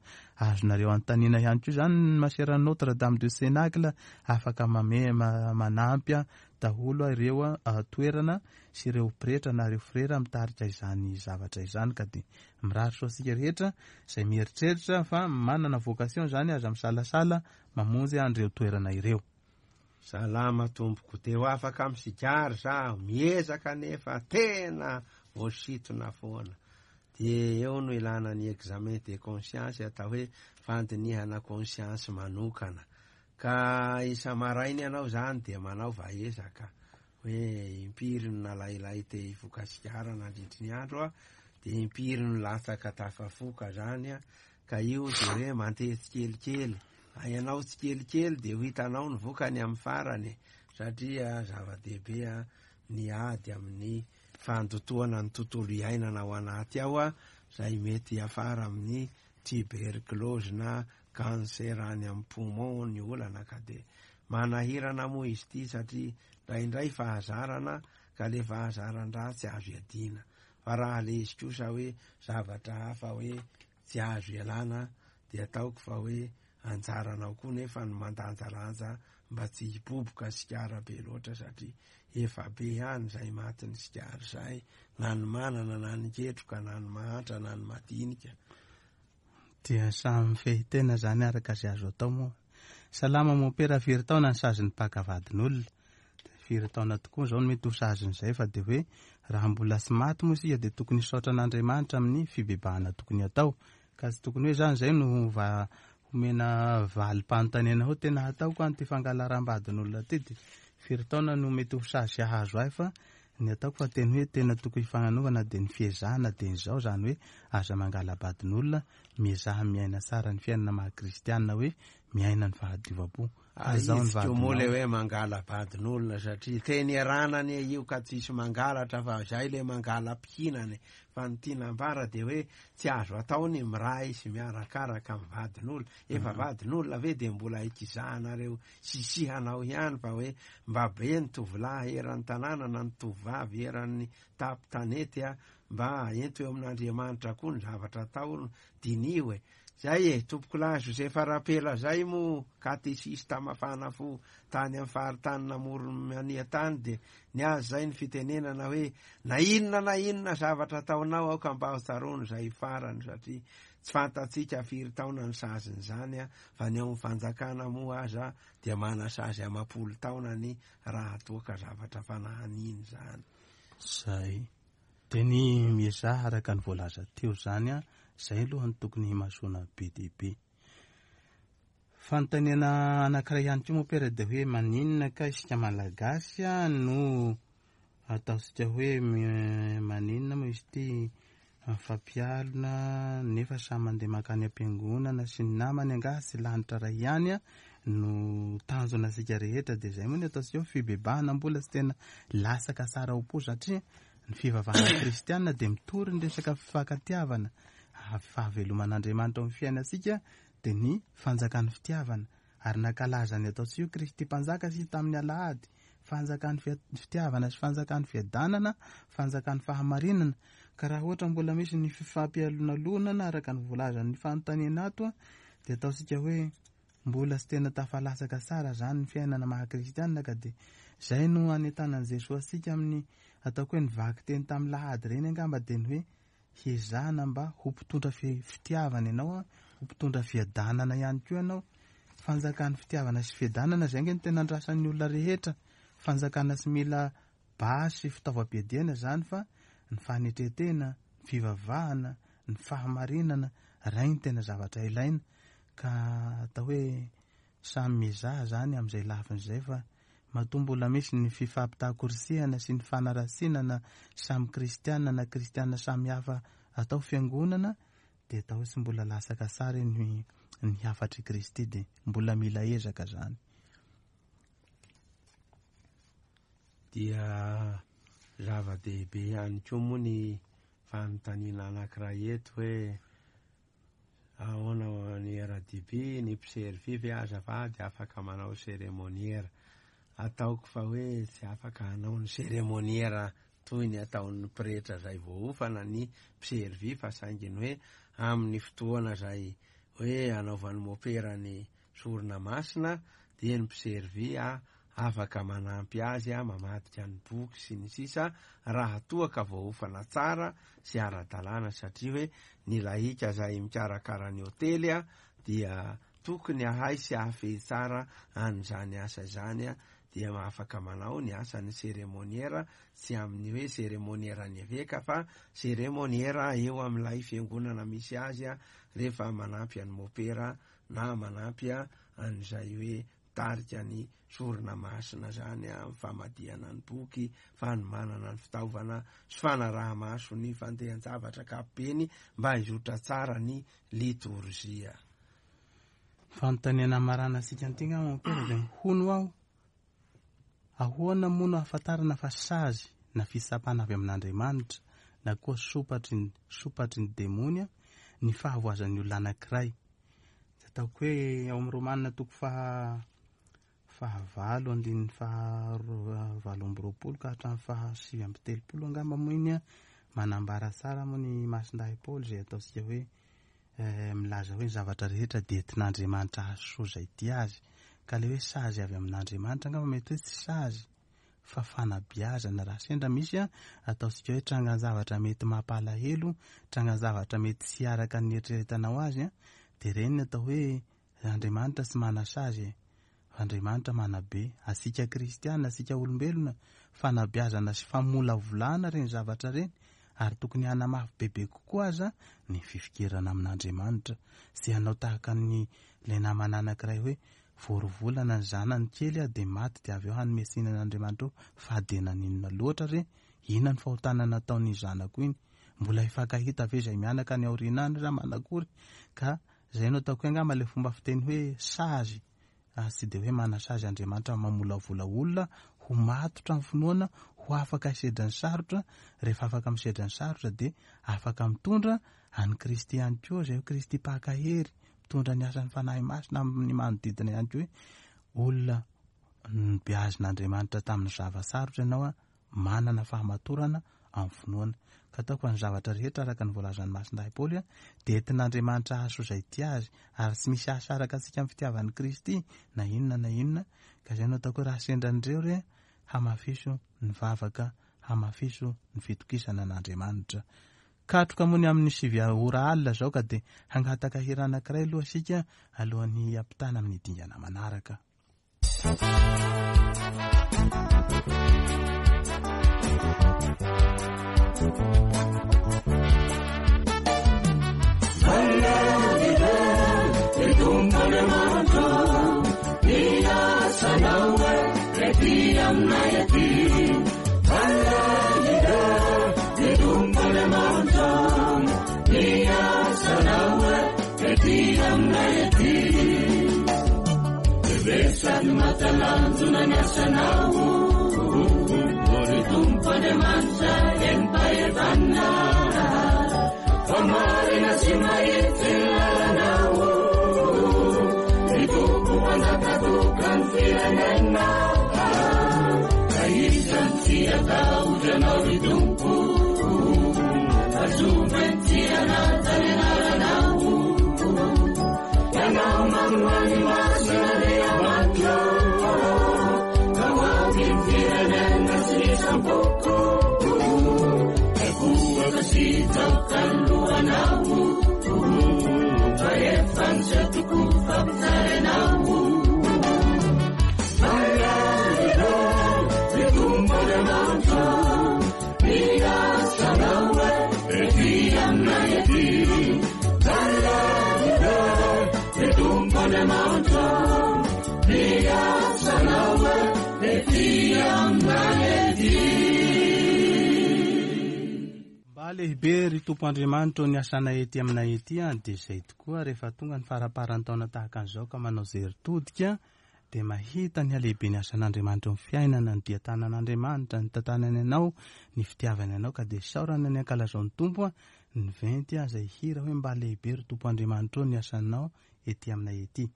azonareo anontaniana ihany koa zany ny masera Notre Dame de Cénacle afaka mame-, ma-, manampy a daholo a ireo a toerana sy ireo pretra na ireo frera mitarika izany zavatra izany. Ka de mirary soa antsika rehetra izay mieritreritra fa manana vocation zany, aza misalasala mamonjy an'ireo toerana ireo. Salama tompoko, te ho afaka amin'ny sigara zaho, miezaka nefa tena voasintona foana. De eo no ilana ny examen de conscience, atao hoe fandinihana conscience manokana. Ka isa-maraina ianao zany de manao vaezaka hoe impiry no nalailay te hifoka sigara nandritry ny andro a, de impiry no latsaka tafafoka zany a, ka io de hoe mandeha tsikelikely. Ianao tsikelikely de ho hitanao ny vokany amin'ny farany, satria zava-dehibe a ny ady amin'ny fandotoana ny tontolo iainana ao anaty ao a, zay mety hiafara amin'ny tuberculose na cancer any amin'ny poumon ny olana. Ka de manahirana moa izy ity satria indraindray fahazarana, ka le fahazaran-dratsy azo iadiana, fa raha le izy kosa hoe zavatra hafa hoe tsy azo ialana, de ataoko fa hoe anjaranao koa nefa ny mandanjalanja mba tsy hiboboka sigara be loatra, satria efa be ihany zay matin'ny sigara zay, na ny manana na ny ketroka na ny mahantra na ny madinika. Dia samy mifehy tena zany araka izay azo atao moa. Salama mompera, firy taona ny sazin'ny mpaka vadin'olona? Firy taona tokoa zao no mety ho sazin'izay, fa de hoe raha mbola tsy maty moa isika de tokony hisaotra an'Andriamanitra amin'ny fibebahana tokony atao. Ka tsy tokony hoe zany zay no va homena valim-panontaniana hoe tena hataoko an'ity fangalaram-badin'olona ty, de firy taona no mety ho sazy hahazo ahy, fa Ny ataoko fa teny hoe tena tokony hifananovana dia ny fiezahana dia izao, izany hoe aza mangala-badin'olona, miezaha miaina tsara ny fiainana maha kristianina, hoe miaina ny fahadiovam-po. Azao ny Ahitsiko moa le vadinao. hoe mangala-badin'olona satria teny erana anie io ka tsisy mangalatra fa zay le mangala-pihinany, fa ny tiana ambara de hoe tsy azo atao ny miray sy miarakaraka amin'ny vadin'olona. Efa vadin'olona ve de mbola ikizahanareo sisihanao ihany, fa hoe mba be ny tovolahy eran'ny tanàna na ny tovovavy eran'ny tapitanety a, mba ento eo amin'Andriamanitra koa ny zavatra atao, diniho e. Zay e, tompokolahy Josefa Rapela zay mo katesista mafana fo tany amin'ny faritany namoron-mania tany, de ny azy zay ny fitenenana hoe na inona na inona zavatra ataonao aoka mba ho tsaroany zay farany, satria tsy fantatsika firy taona ny saziny zany a, fa ny ao amin'ny fanjakana moa aza dia manasazy amapolo taonany raha toa ka zavatra fanahaniny zany. Zay. Dia ny miezaha araka ny voalaza teo zany a, zay aloha ny tokony himasoana be dia be. Fanontaniana anankiray ihany koa moa pera dia hoe maninona ka isika Malagasy a no ataontsika hoe mi- maninona moa izy ity mifampialona nefa samy mandeha mankany am-piangonana sy ny namany, angaha sy lanitra ray ihany a no tanjona antsika rehetra. Dia zay moa ny ataontsika hoe fibebahana mbola tsy tena lasaka tsara ho po, satria ny fivavahana kristianina dia mitory ny resaka fifankatiavana, fahaveloman'Andriamanitra ao amin'ny fiainantsika dia ny fanjakan'ny fitiavana, ary nankalaza ny ataontsika hoe Kristy mpanjaka sy tamin'ny alahady, fanjakan'ny fia-, fitiavana sy fanjakan'ny fiadanana, fanjakan'ny fahamarinana. Ka raha ohatra mbola misy ny fifampialonalonana araka ny voalazan'ny fanontaniana ato a, dia ataontsika hoe mbola tsy tena tafalasaka tsara zany ny fiainana maha kristianina, ka dia zay no anentanan'i Jesoa antsika amin'ny ataoko hoe ny vakiteny tamin'ny lahady ireny angamba, dia ny hoe hiezahana mba ho mpitondra fi-, fitiavana ianao a, ho mpitondra fiadanana ihany koa ianao. Fanjakan'ny fitiavana sy fiadanana zay ange no tena andrasan'ny olona rehetra. Fanjakana tsy mila basy fitaovam-piadiana zany, fa ny fanetren-tena, ny fivavahana, ny fahamarinana, ray ny tena zavatra ilaina. Ka atao hoe samy miezaha zany amin'izay lafiny izay, fa matoa mbola misy ny fifampitakorsihana sy ny fanaratsiana na samy kristiana na kristiana samy hafa atao fiangonana, dia atao hoe tsy mbola lasaka tsara ny, ny hafatr'i Kristy, dia mbola mila ezaka zany. Dia zava-dehibe ihany koa moa ny fanontaniana anankiray eto hoe ahoana ny R D B, ny mpiservy ve azafady afaka manao seremoniera? Ataoko fa hoe tsy afaka hanao ny seremoniera toy ny ataon'ny pretra zay voaofana ny mpiservy, fa saingy ny hoe amin'ny fotoana zay hoe anaovan'ny mopera ny sorona masina dia ny mpiservy a afaka manampy azy a mamadika ny boky sy ny sisa, raha toa ka voaofana tsara sy ara-dalàna, satria hoe ny lahika zay mikarakara ny hotely a dia tokony ahay sy ahafehy tsara an'izany asa izany a, dia afaka manao ny asan'ny seremoniera, tsy amin'ny hoe seremoniera ny eveka fa seremoniera eo amin'ilay fiangonana misy azy a, rehefa manampy an'ny mopera na manampy a an'izay hoe tarika ny sorona masina zany a, famadihana ny boky, fanomanana ny fitaovana sy fanaraha-maso ny fandehan-javatra ankapobeny mba hizotra tsara ny litorjia. Fanontaniana marana antsika an'ity angamba, Mompera, dia hono aho, ahoana moa no ahafantarana fa sazy na fitsapana avy amin'Andriamanitra na koa sopatry ny, sopatry ny demony ny fahavoazan'ny olona anankiray? Tsy ataoko hoe ao amin'ny Romana toko faha-, fahavalo andininy faha-, valo amby roapolo ka hatramin'ny faha sivy amby telopolo angamba moa iny a, manambara tsara moa ny Masindahy Paoly izay ataontsika hoe, eh, milaza hoe ny zavatra rehetra dia entin'Andriamanitra hahasoa izay tia azy. Ka le hoe sazy avy amin'Andriamanitra angamba mety hoe tsy sazy fa fanabeazana. Raha sendra misy a, ataontsika hoe trangan-javatra mety mampalahelo, trangan-javatra mety tsy araka ny eritreretanao azy a, dia ireny ny atao hoe Andriamanitra tsy manasazy e. Andriamanitra manabe asika kristiana, asika olombelona, fanabeazana sy famolavolana ireny zavatra ireny, ary tokony hanamafy bebe kokoa aza ny fifikirana amin'Andriamanitra. Tsy hanao tahaka ny ilay namana anankiray hoe voarovolana ny zanany kely a, dia maty, dia avy eo hanome tsiny an'Andriamanitra eo fa dia naninona loatra re Inona ny fahotana nataon'ny zanako iny? Mbola hifankahita ve izay mianaka any aoriana any raha manakory? Ka izay no ataoko hoe angamba ilay fomba fiteny hoe sazy. Tsy dia hoe manasazy Andriamanitra mamolavola olona ho matotra amin'ny finoana, ho afaka hisedra ny sarotra. Rehefa afaka misedra ny sarotra dia afaka mitondra an'i Kristy ihany koa, izay hoe Kristy mpakahery, mitondra ny asan'ny Fanahy Masina amin'ny manodidina ihany koa. Hoe olona nobeazin'Andriamanitra tamin'ny zava-sarotra ianao, manana fahamatorana amin'ny finoana. Ka ataoko fa ny zavatra rehetra araka ny voalazan'ny Masindahy Paoly dia entin'Andriamanitra hahasoa izay tia azy, ary tsy misy hahasaraka antsika amin'ny fitiavan'i Kristy na inona na inona. Ka izay no ataoko hoe raha sendra an'ireo re, hamafiso ny vavaka, hamafiso ny fitokisana an'Andriamanitra. Katroka moa ny amin'ny sivy ora alina izao, ka dia hangataka hira anankiray aloha isika alohan'ny hampitana amin'ny dingana manaraka. Mba lehibe ry Tompo Andriamanitra ny asanay ety aminay ety, dia izay tokoa rehefa tonga ny faramparan'ny taona tahaka an'izao ka manao jery todika dia mahita ny halehibe ny asan'Andriamanitra amin'ny fiainana, ny dian-tanan'Andriamanitra, ny tantanany anao, ny fitiavany anao, ka dia saorana ny ankalazao ny Tompo ny venty izay hira hoe mba lehibe ry Tompo Andriamanitra ny asanao ety aminay ety.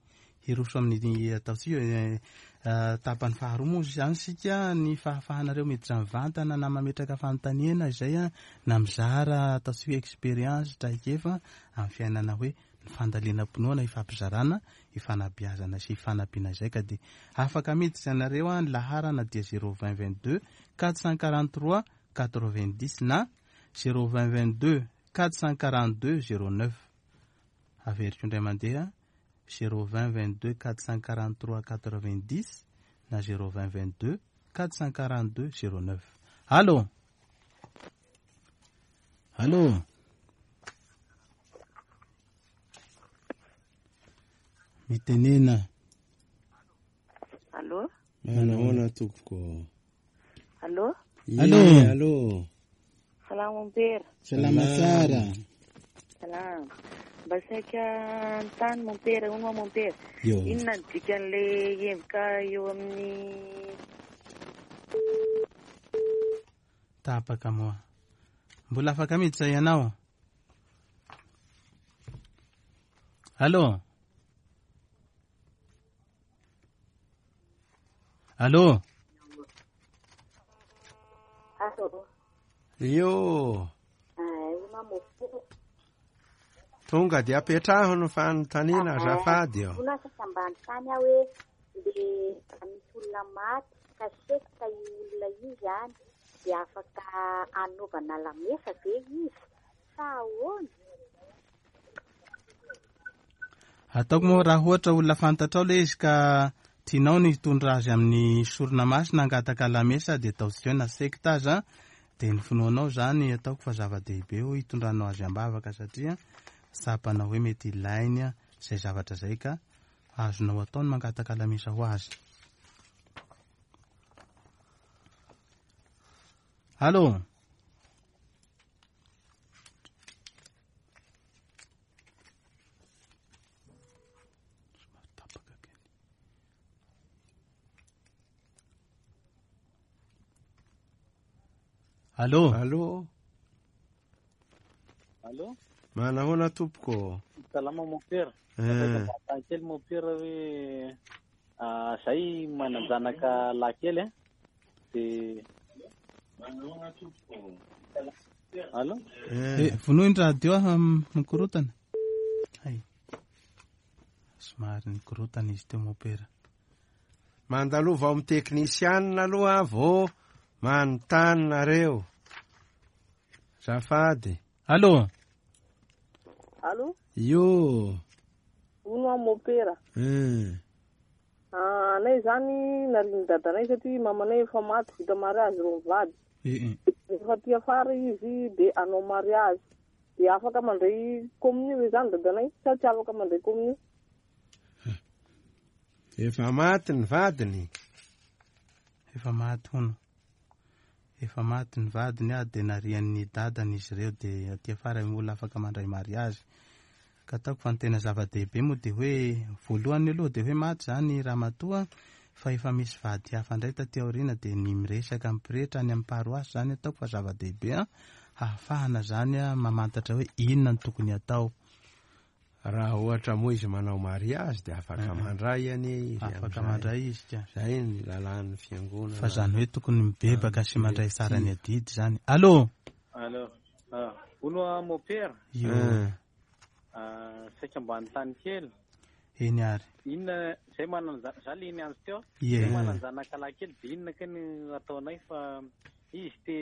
Hiroso amin'ny ataontsika tapany faharoa moa izany isika, ny fahafahanareo miditra mivantana na mametraka fanontaniana izay na mizara ataontsika expérience traikefa amin'ny fiainana hoe ny fandalinam-pinoana ifampizarana, ifanabeazana sy ifanampiana izay, ka dia afaka miditra ianareo ny laharana dia zéro vingt vingt-deux quatre cent quarante-trois quatre-vingt-dix na zéro vingt vingt-deux quatre cent quarante-deux zéro neuf. Averiko indray mandeha zéro vingt vingt-deux quatre cent quarante-trois quatre-vingt-dix na zéro vingt vingt-deux quatre cent quarante-deux zéro neuf. Allô? Allô? Mitenena. Allô? Manahoana tompoko? Allô? Allô? Allô? Salama mompera. Salama tsara. Salama. Mba saika anontany mompera, hono moa mompera. Inona ny dikan'ilay emboka eo amin'ny tapaka moa? Mbola afaka miditra ianao? Allô? Allô? Allô? Io. Tonga dia apetraho ny fanontaniana azafady eo. Mbola sasa mba anontany aho hoe le misy olona maty ka sekta io olona io zany dia afaka anaovana lamesa ve izy sa ahoana? Ataoko moa raha ohatra olona fantatrao ilay izy ka tianao ny hitondra azy amin'ny sorona masina hangataka lamesa dia ataontsika hoe na sekta aza dia ny finoanao zany ataoko fa zava-dehibe hoe hitondranao azy am-bavaka satria tsapanao hoe mety ilainy izay zavatra izay ka azonao atao ny mangataka lamesa ho azy. Allô? Allô? Allô? Allô? Manahoana tompoko? Salama mompera. Eh. Kely mompera hoe zay manan-janaka lahy kely a. De manahoana tompoko? Allô? Eh, vonoy ny radio ah, mikorotana. Hay. Somary nikorotana izy teo mompera. Mandalova ao amin'ny teknisianina aloha vao manontany nareo. Zafady. Allô? Allô? Io. Hono aho mompera. Eh. Anay zany nariny dadanay satria mamanay efa maty vita mariazy ro mivady. Eh. Efa ty afara izy de anao mariazy. De afaka mandray communion ve zany dadanay sa tsy afaka mandray communion? Efa maty ny vadiny. Efa maty hono. Efa maty ny vadiny a, de narian'ny dadany izy ireo, de aty afara ny olona afaka mandray mariazy. Ka ataoko fa ny tena zava-dehibe moa de hoe voalohany aloha de hoe maty zany ramatoa fa efa misy vady hafa indray taty aoriana, de ny miresaka amin'ny pretra any amin'ny paroasy zany ataoko fa zava-dehibe a, hahafahana zany a mamantatra hoe inona no tokony atao. Raha ohatra moa izy manao mariazy de afaka mandray anie izy. Afaka mandray izy ka. Zay ny lalàn'ny fiangonana. Fa zany hoe tokony mibebaka sy mandray tsara ny adidy zany. Allô? Allô. Ah, hono aho mompera. Io. Ah, saika mba anontany kely. Eny ary. Inona zay manan-janaka, za le niantso teo. Ie. Zay manan-janaka lahy kely de inona ka ny ataonay fa izy te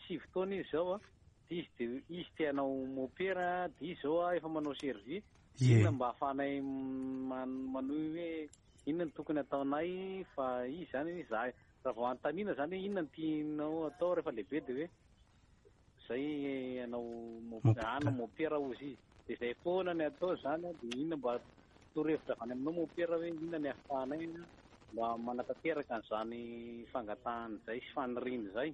sivy taona izy zao a. Izy de izy te hanao mompera, de izy zao a efa manao service. Ie. Inona mba ahafahanay manohy hoe inona no tokony ataonay fa izy zany za raha vao anontaniana zany hoe inona no tianao atao rehefa lehibe de hoe zay hanao hanao mompera ozy izy. De zay foana ny atao zany de inona mba torohevitra avy any aminao mompera hoe inona ny ahafahanay mba manatanteraka an'izany fangatahana izay sy faniriana izay.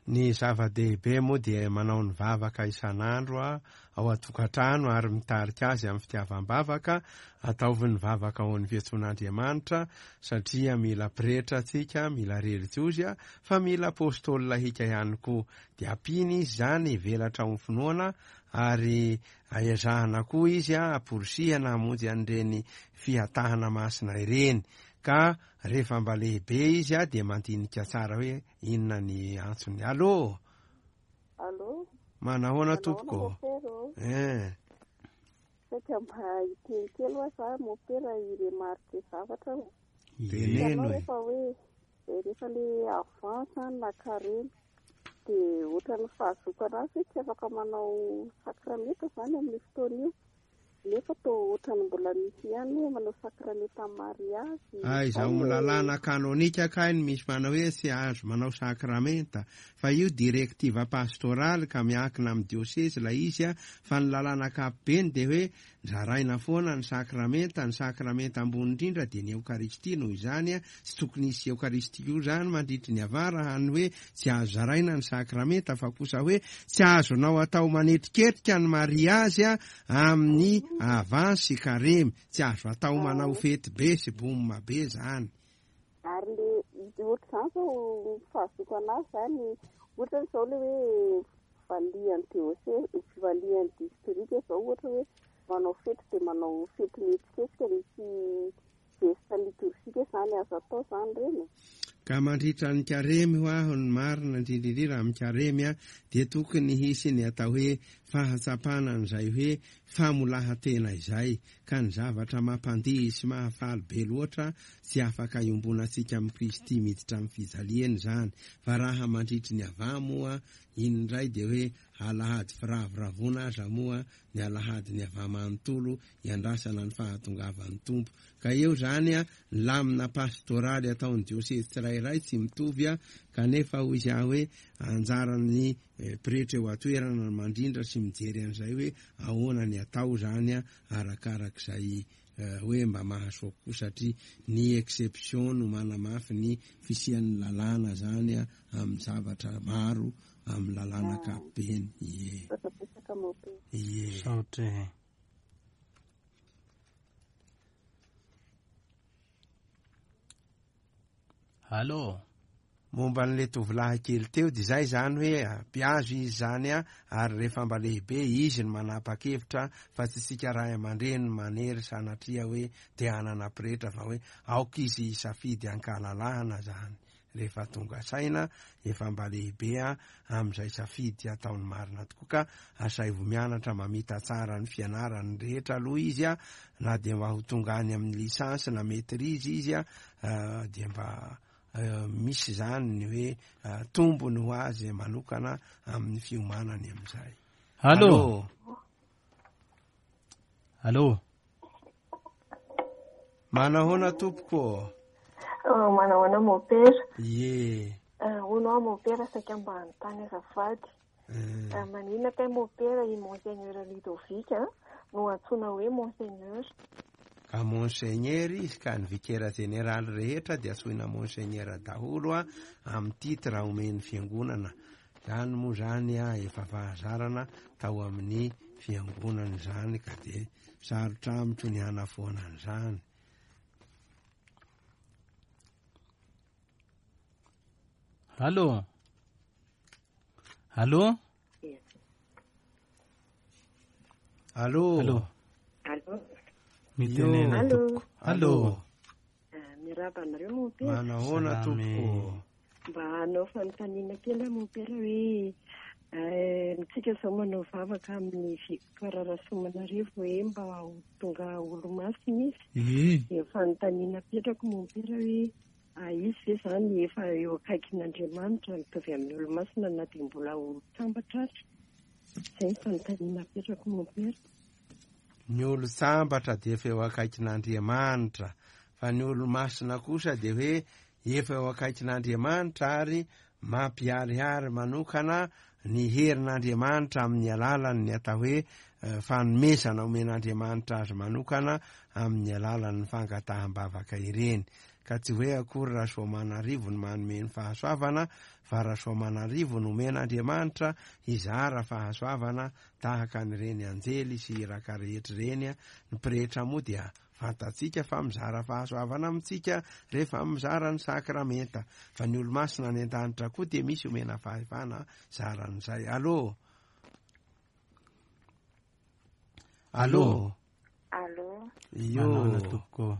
Ny zava-dehibe moa dia manao ny vavaka isan'andro a ao an-tokantrano ary mitarika azy amin'ny fitiavam-bavaka. Ataovy ny vavaka ao amin'ny fiantsoan'Andriamanitra satria mila pretra antsika, mila relijiozy a, fa mila apôstôly lahika ihany koa. Dia ampiana izy zany hivelatra ao amin'ny finoana ary aezahana koa izy a, amporisihana hamonjy an'ireny fihatahana masina ireny. Ka rehefa mba lehibe izy a dia mandinika tsara hoe inona ny antsony. Allô? Allô? Manahoana tompoko? Eh. Saika mba hiteny kely hoa za mompera iremarque zavatra. Teneno e. Rehefa hoe rehefa le avance na karemy de ohatran'ny fahazoako anazy hoe tsy afaka manao sakramenta zany amin'ny fotoana io. Nefa tô ohatran'ny mbola misy ihany hoe manao sakramenta mariazy. Ay, zaho lalàna kanonika kay ny misy manao hoe tsy azo manao sakramenta, fa io directive pastoraly ka miankina amin'ny diocèse ilay izy a, fa ny lalàna ankapobeny de hoe zaraina foana ny sakramenta, ny sakramenta ambony indrindra de ny eokaristia. Noho izany a, tsy tokony hisy eokaristia io zany mandritry ny avara, hany hoe tsy azo zaraina ny sakramenta, fa kosa hoe tsy azonao atao manetriketrika ny mariazy a amin'ny avance sy karemy, tsy azo atao manao fety be sy bomba be zany. Ary le ohatr'izany zao fahazoako anazy zany, ohatra zao le hoe valian'ny diocèse, valian'ny district zao ohatra hoe manao fety de manao fety mihetsiketsika misy geste liturgique zany azo atao zany reny. Ka mandritra ny karemy ho aho ny marina indrindra indrindra amin'ny karemy a dia tokony hisy ny atao hoe fahatsapana an'izay hoe famolahan-tena izay, ka ny zavatra mampandihy sy mahafaly be loatra tsy afaka iombonantsika amin'i Kristy miditra amin'ny fijaliany zany. Fa raha mandritry ny ava moa iny indray dia hoe alahady firavoravoana aza moa ny alahady ny ava manontolo iandrasana ny fahatongavan'ny Tompo. Ka eo zany a ny lamina pastoraly ataon'ny diocèse tsirairay tsy mitovy a, kanefa hoy izy aho hoe anjaran'ny pretra eo an-toerana ny mandrindra sy mijery an'izay hoe ahoana ny atao zany a arakarak'izay hoe mba mahasoa kokoa, satria ny exception no manamafy ny fisian'ny lalàna zany amin'ny zavatra maro amin'ny lalàna ankapobeny. Ie. Ie. Saotra. Allô. Momba an'ilay tovolahy kely teo dia izay zany hoe ampiazo izy zany a, ary rehefa mba lehibe izy no manapa-kevitra fa tsy isika ray aman-dreny manery sanatria hoe te hanana pretra, fa hoe aoka izy hisafidy ankalalahana zany rehefa tonga saina efa mba lehibe a amin'izay safidy ataony marina tokoa, ka asaivo mianatra mamita tsara ny fianarany rehetra aloha izy a, na dia mba ho tonga any amin'ny licence na maîtrise izy a, dia mba misy zany ny hoe tombony ho azy manokana amin'ny fiomanany amin'izay. Allô. Allô. Manahoana tompoko? Manahoana mopera? Ie. Hono aho mopera saika mba hanontany azafady. Maninona kay mopera i Monseigneur Ludovic no antsoina hoe Monseigneur? Ka Monseigneur izy, ka ny vikera jeneraly rehetra dia antsoina Monseigneur daholo a amin'ny titre omen'ny fiangonana. Zany moa zany a efa fahazarana tao amin'ny fiangonana zany, ka dia sarotra amiko ny hanafoana an'izany. Allô. Allô. Allô. Allô. Allô. Mitenena tompoko. Allô. Miarahaba anareo mompera. Manahoana tompoko? Mba hanao fanontaniana kely aho mompera hoe tsika izao manao vavaka amin'ny Victoire Rasoamanarivo hoe mba ho tonga olo-masina izy. Dia fanontaniana apetrako mompera hoe izy ve zany efa eo akaikin'Andriamanitra mitovy amin'ny olo-masina na dia mbola olo-tsambatra aza? Izay ny fanontaniana apetrako mompera. Ny olo-tsambatra dia efa eo akaikin'Andriamanitra, fa ny olo-masina kosa dia hoe efa eo akaikin'Andriamanitra ary mampiharihary manokana ny herin'Andriamanitra amin'ny alalan'ny atao hoe fanomezana omen'Andriamanitra azy manokana amin'ny alalan'ny fangataham-bavaka ireny. Ka tsy hoe akory Rasoamanarivo no manome ny fahasoavana, fa Rasoamanarivo no omen'Andriamanitra hizara fahasoavana tahaka an'ireny anjely sy iraka rehetra ireny. Ny pretra moa dia fantatsika fa mizara fahasoavana amintsika rehefa mizara ny sakramenta, fa ny olo-masina any an-danitra koa dia misy omena fahefana zaran'izay. Allô. Allô. Allô. Io. Manahoana tompoko?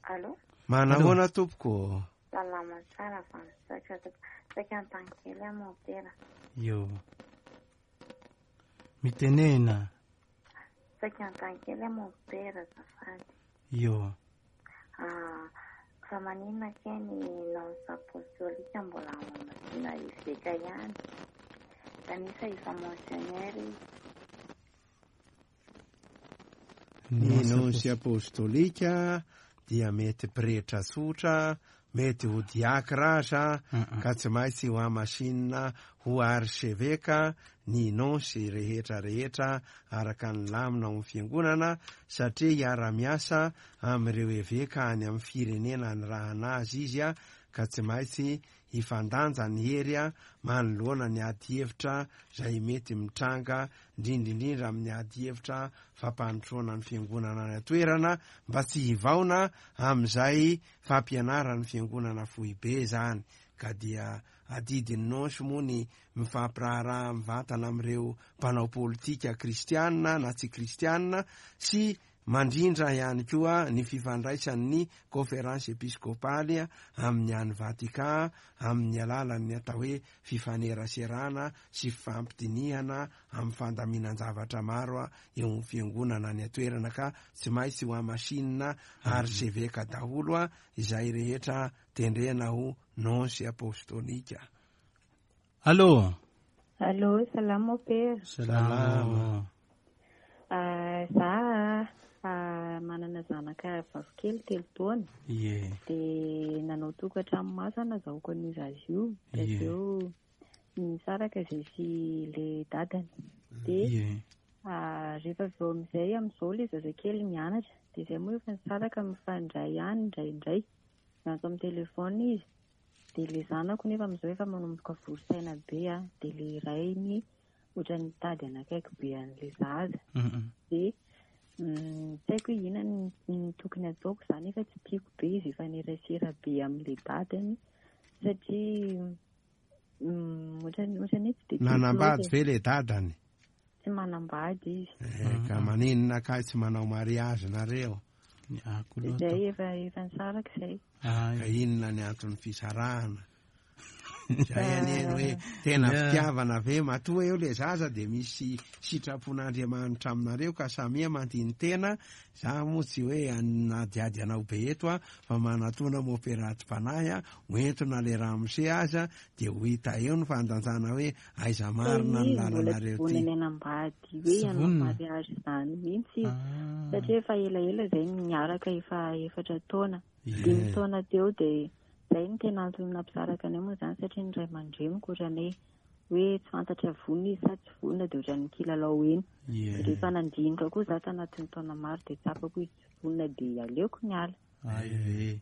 Allô. Manahoana tompoko? Salama tsara fa misaotra tompoko. Saika anontany kely aho mompera. Io. Mitenena. Saika anontany kely aho mompera azafady. Io. Ah, fa maninona kay ny nonce apostolika mbola mamasina eveka ihany? Kanefa efa monseigneur izy. Ny nonce apostolika dia mety pretra tsotra, mety ho diakra aza, ka tsy maintsy ho hamasinina ho archeveka ny nonce rehetra rehetra araka ny lamina ao amin'ny fiangonana, satria hiara-miasa amin'ireo eveka any amin'ny firenena anirahana azy izy a, ka tsy maintsy hifandanja ny hery a manoloana ny ady hevitra izay mety mitranga, indrindra indrindra amin'ny ady hevitra fampandrosoana ny fiangonana any an-toerana, mba tsy hivaona amin'izay fampianaran'ny fiangonana foibe zany. Ka dia adidin'ny nonce moa ny mifampiraharaha mivantana amin'ireo mpanao politika kristianina na tsy kristianina, sy mandrindra ihany koa ny fifandraisan'ny conférence episkopaly amin'ny any Vatican amin'ny alalan'ny atao hoe fifaneraserana sy fifampidinihana amin'ny fandaminan-javatra maro eo amin'ny fiangonana any an-toerana, ka tsy maintsy ho hamasinina archeveka daholo a izay rehetra tendrena ho nonce apostolika. Allô. Allô, salama mompera. Salama. Za manana zanaka vavikely telo taona. Ie. Dia nanao tokantrano maso nazahoako an'io zaza io. Dia avy eo nisaraka izay sy le dadany. Dia Rehefa avy eo amin'izay amin'izao ilay zazakely mianatra dia izay moa efa nisaraka mifandray ihany indraindray, miantso amin'ny telefona izy. Dia ilay zanako nefa amin'izao efa manomboka vory saina be a, dia ilay rainy ohatran'ny nitady anakaiky be an'ilay zaza. Dia tsy haiko hoe inona no tokony ataoko izany, efa tsy tiako be izy hifanerasera be amin'ilay dadany satria ohatran'ny ohatran'ny hoe tsy dia tiako Nanambady loatra. ve ilay dadany? Tsy manambady izy. Eh, ka maninona kay tsy manao mariazy nareo? Izay efa efa nisaraka izay. Ka inona ny anton'ny fisarahana? Zay anie ny hoe tena fitiavana ve matoa eo le zaza dia misy sitrapon'Andriamanitra aminareo ka samia mandini-tena. Za moa tsy hoe anadiady anao be eto a, fa manatona moperaty-panahy a, hoentina le ramose aza dia ho hita eo ny fandanjana hoe aiza marina ny Izy mbola tsy lalanareo ty. vonona ny hanambady hoe Tsy hanao vonona? mariazy izany mihitsy izy, satria efa elaela izay niaraka efa efatra taona, dimy taona teo. Dia izay no tena antony nampisaraka anay moa izany, satria ny ray aman-dreniko ohatran'ny hoe tsy fantatra vonona izy sa tsy vonona, dia ohatran'ny kilalao eny. Ie. Rehefa nandinika koa za tanatin'ny taona maro dia tsapako izy tsy vonona, dia aleoko niala. Ay ve,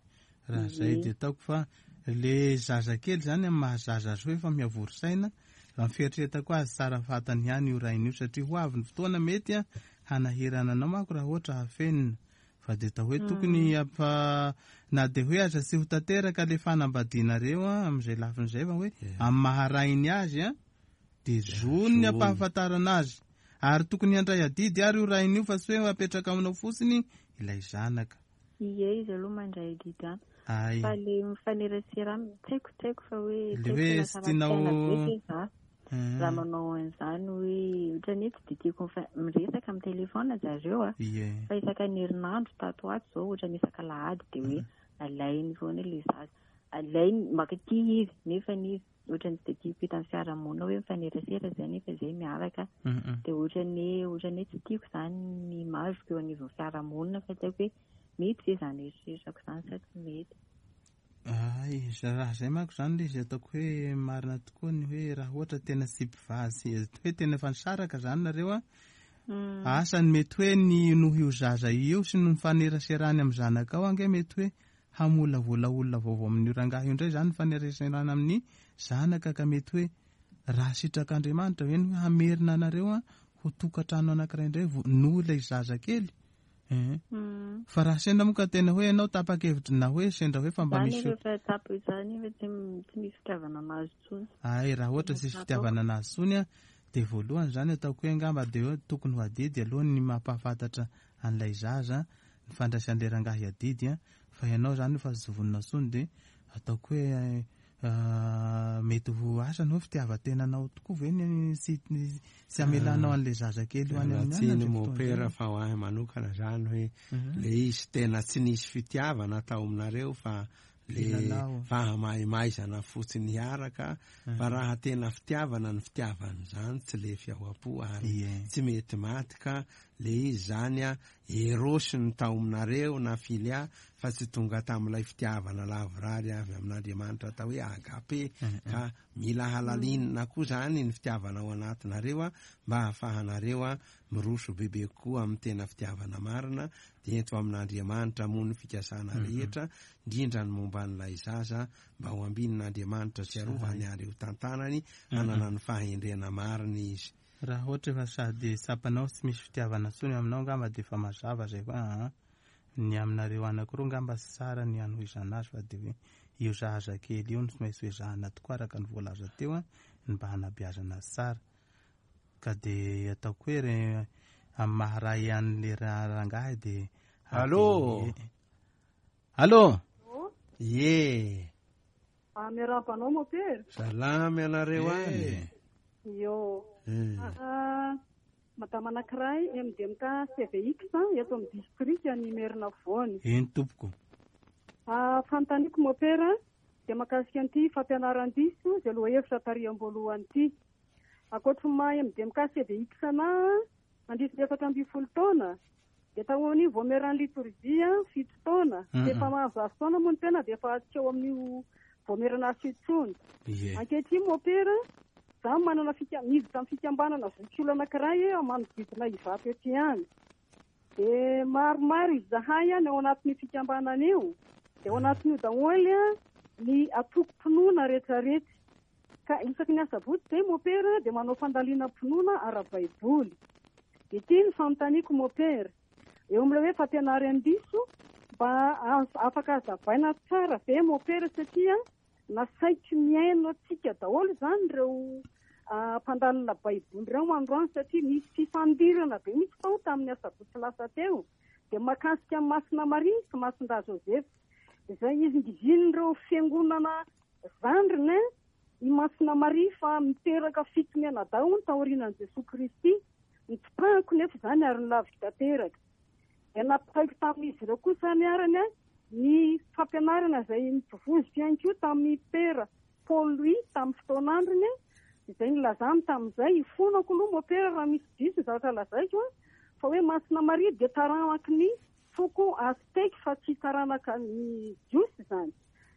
raha zay Ie. dia ataoko fa le zazakely zany amin'ny mahazaza azy hoe efa miavory saina, raha ny fieritreretako azy tsara fantany ihany io rainy io, satria ho avy ny fotoana mety a hanahirana anao manko raha ohatra hafenina. Fa dia atao hoe tokony ampa, na dia hoe aza tsy ho tanteraka le fanambadianareo a amin'izay lafin'izay, fa hoe amin'ny maharainy azy a dia zony ny ampahafantarana azy, ary tokony handray adidy ary io rainy io fa tsy hoe apetraka aminao fotsiny ilay zanaka. Ie, izy aloha mandray adidy ihany. Ay. Fa le mifanerasera aminy tsy haiko, tsy haiko fa hoe Le tsy haiko hoe fa tsy tianao lasa ratsy saina be ve za Ah. raha manao an'izany, hoe ohatran'ny hoe tsy dia tiako mifa- miresaka amin'ny telefona zareo a. Ie. Fa isaka ny herinandro tato ato izao, ohatran'ny isaka alahady dia hoe alainy foana ilay zaza, alainy makaty izy, nefa izy ohatran'ny tsy dia tiako hita amin'ny fiarahamonina hoe mifanerasera izay nefa izay miaraka. Mhm. Dia ohatran'ny hoe ohatran'ny hoe tsy tiako izany ny image-ko eo anivon'ny fiarahamonina, fa tsy haiko hoe mety ve izany eritreritrako izany sa tsy mety. Ay, za- raha zay manko zany le izy ataoko hoe marina tokoa ny hoe raha ohatra tena tsy mpivady, hoe tena efa nisaraka zany nareo a, asa ny mety hoe ny noho io zaza io sy ny faneraserany amin'ny zanakao ange mety hoe hamolavola olona vaovao amin'io rangahy io indray zany ny faneraserana amin'ny zanaka, ka mety hoe raha sitrak'Andriamanitra ve ny hoe hamerina anareo a ho tokantrano anankiray indray vo- noho ilay zaza kely. Eh. Fa raha sendra moa ka tena hoe ianao tapa-kevitra na hoe sendra hoe fa mba Zany misy efa tsapa izany efa tsy tsy misy fitiavana anazy intsony. Ay, raha ohatra tsisy fitiavana anazy intsony a, dia voalohany zany ataoko hoe angamba dia hoe tokony ho adidy aloha ny mampahafantatra an'ilay zaza ny fandraisan'ilay rangahy adidy a, fa ianao zany efa tsy vonona intsony, dia ataoko hoe ah, mety ho asa ny hoe fitiavan-tenanao tokoa ve ny tsy tsy amelanao an'ilay zazakely ho any amin'ny Tsiny anatra mopera fa ho ahy manokana zany hoe Mhm. le izy tena tsy nisy fitiavana tao aminareo fa le Kilalao. fahamaimaizana fotsiny hiaraka, fa Mhm. raha tena fitiavana ny fitiavana zany tsy lefy ao am-po ary Ie. tsy mety maty, ka le izy zany a erosy ny tao aminareo na filia fa tsy tonga tamin'ilay fitiavana lavorary avy amin'Andriamanitra atao hoe agape, ka mila halalinina koa zany ny fitiavana ao anatinareo a mba hahafahanareo a miroso bebe kokoa amin'ny tena fitiavana marina, dia ento amin'Andriamanitra moa ny fikasana Mhm. rehetra, indrindra ny momba an'ilay zaza, mba ho ambinin'Andriamanitra sy arovany ary ho tantanany hanana ny fahendrena marina izy. Raha ohatra efa sady tsapanao tsy misy fitiavana intsony aminao angamba dia efa mazava zay koa aa ny aminareo anankiroa angamba tsy tsara ny hanohizana azy, fa dia hoe io zaza kely io no tsy maintsy hoezahana tokoa araka ny voalaza teo a ny mba hanabeazana azy tsara, ka dia ataoko hoe re amin'ny maharay an'le ra- rangahy dia Allô? Allô? Ie. Ah, miarahaba anao mopera. Salamy anareo any. Io. Eh. Ah, madama anankiray M D M K C V X eto amin'ny district ny Merina Afovoany. Eny tompoko. Ah, fanontaniako mopera dia mahakasika an'ity fampianaran-diso izay lohahevitra tary am-boalohany ity. Ankoatry ny maha M D M K C V X anahy nandritra ny efatra ambin'ny folo taona dia tao amin'ny voameran'ny litorjia fito taona. Mhm. Efa mahazo taona moa ny tena dia efa tsy eo amin'io voamerana azy intsony. Ie. Ankehitriny mopera Za manana fika miditra amin'ny fikambanana zokiolona anankiray manodidina Ivato ety ihany. Dia maromaro izahay ny ao anatin'io fikambanana io. Dia ao anatin'io daholo ny antokom-pinoana rehetrarehetra. Ka isaky ny asabotsy dia mopera dia manao fandalinam-pinoana ara-baiboly. Dia ity ny fanontaniako mopera. Eo amin'ilay hoe fampianaran-diso mba afaka hazavaina tsara ve mopera satria nasaiko mihaino antsika daholo izany ireo mpandalina baiboly ireo androany satria nisy fifandirana be mihitsy tao tamin'ny asabotsy lasa teo. Dia mahakasika amin'ny Masina Maria sy Masindahy Joseph. Izay izingizin'ireo fiangonana zandriny i Masina Maria fa miteraka fito mianadahy hono taorianan'i Jesoa Kristy. Nitsipahako nefa izany ary nilaviko tanteraka. Dia nampitaiko tamin'izy ireo kosa ny arany ny fampianarana izay nitovoziko ihany koa tamin'ny pera Paul Louis tamin'ny fotoan'androny izay nilazany tamin'izay ifonako aloha mopera raha misy diso ny zavatra lazaiko fa hoe Masina Maria dia taranaky ny foko Aztèque fa tsy taranaka ny Jiosy izany.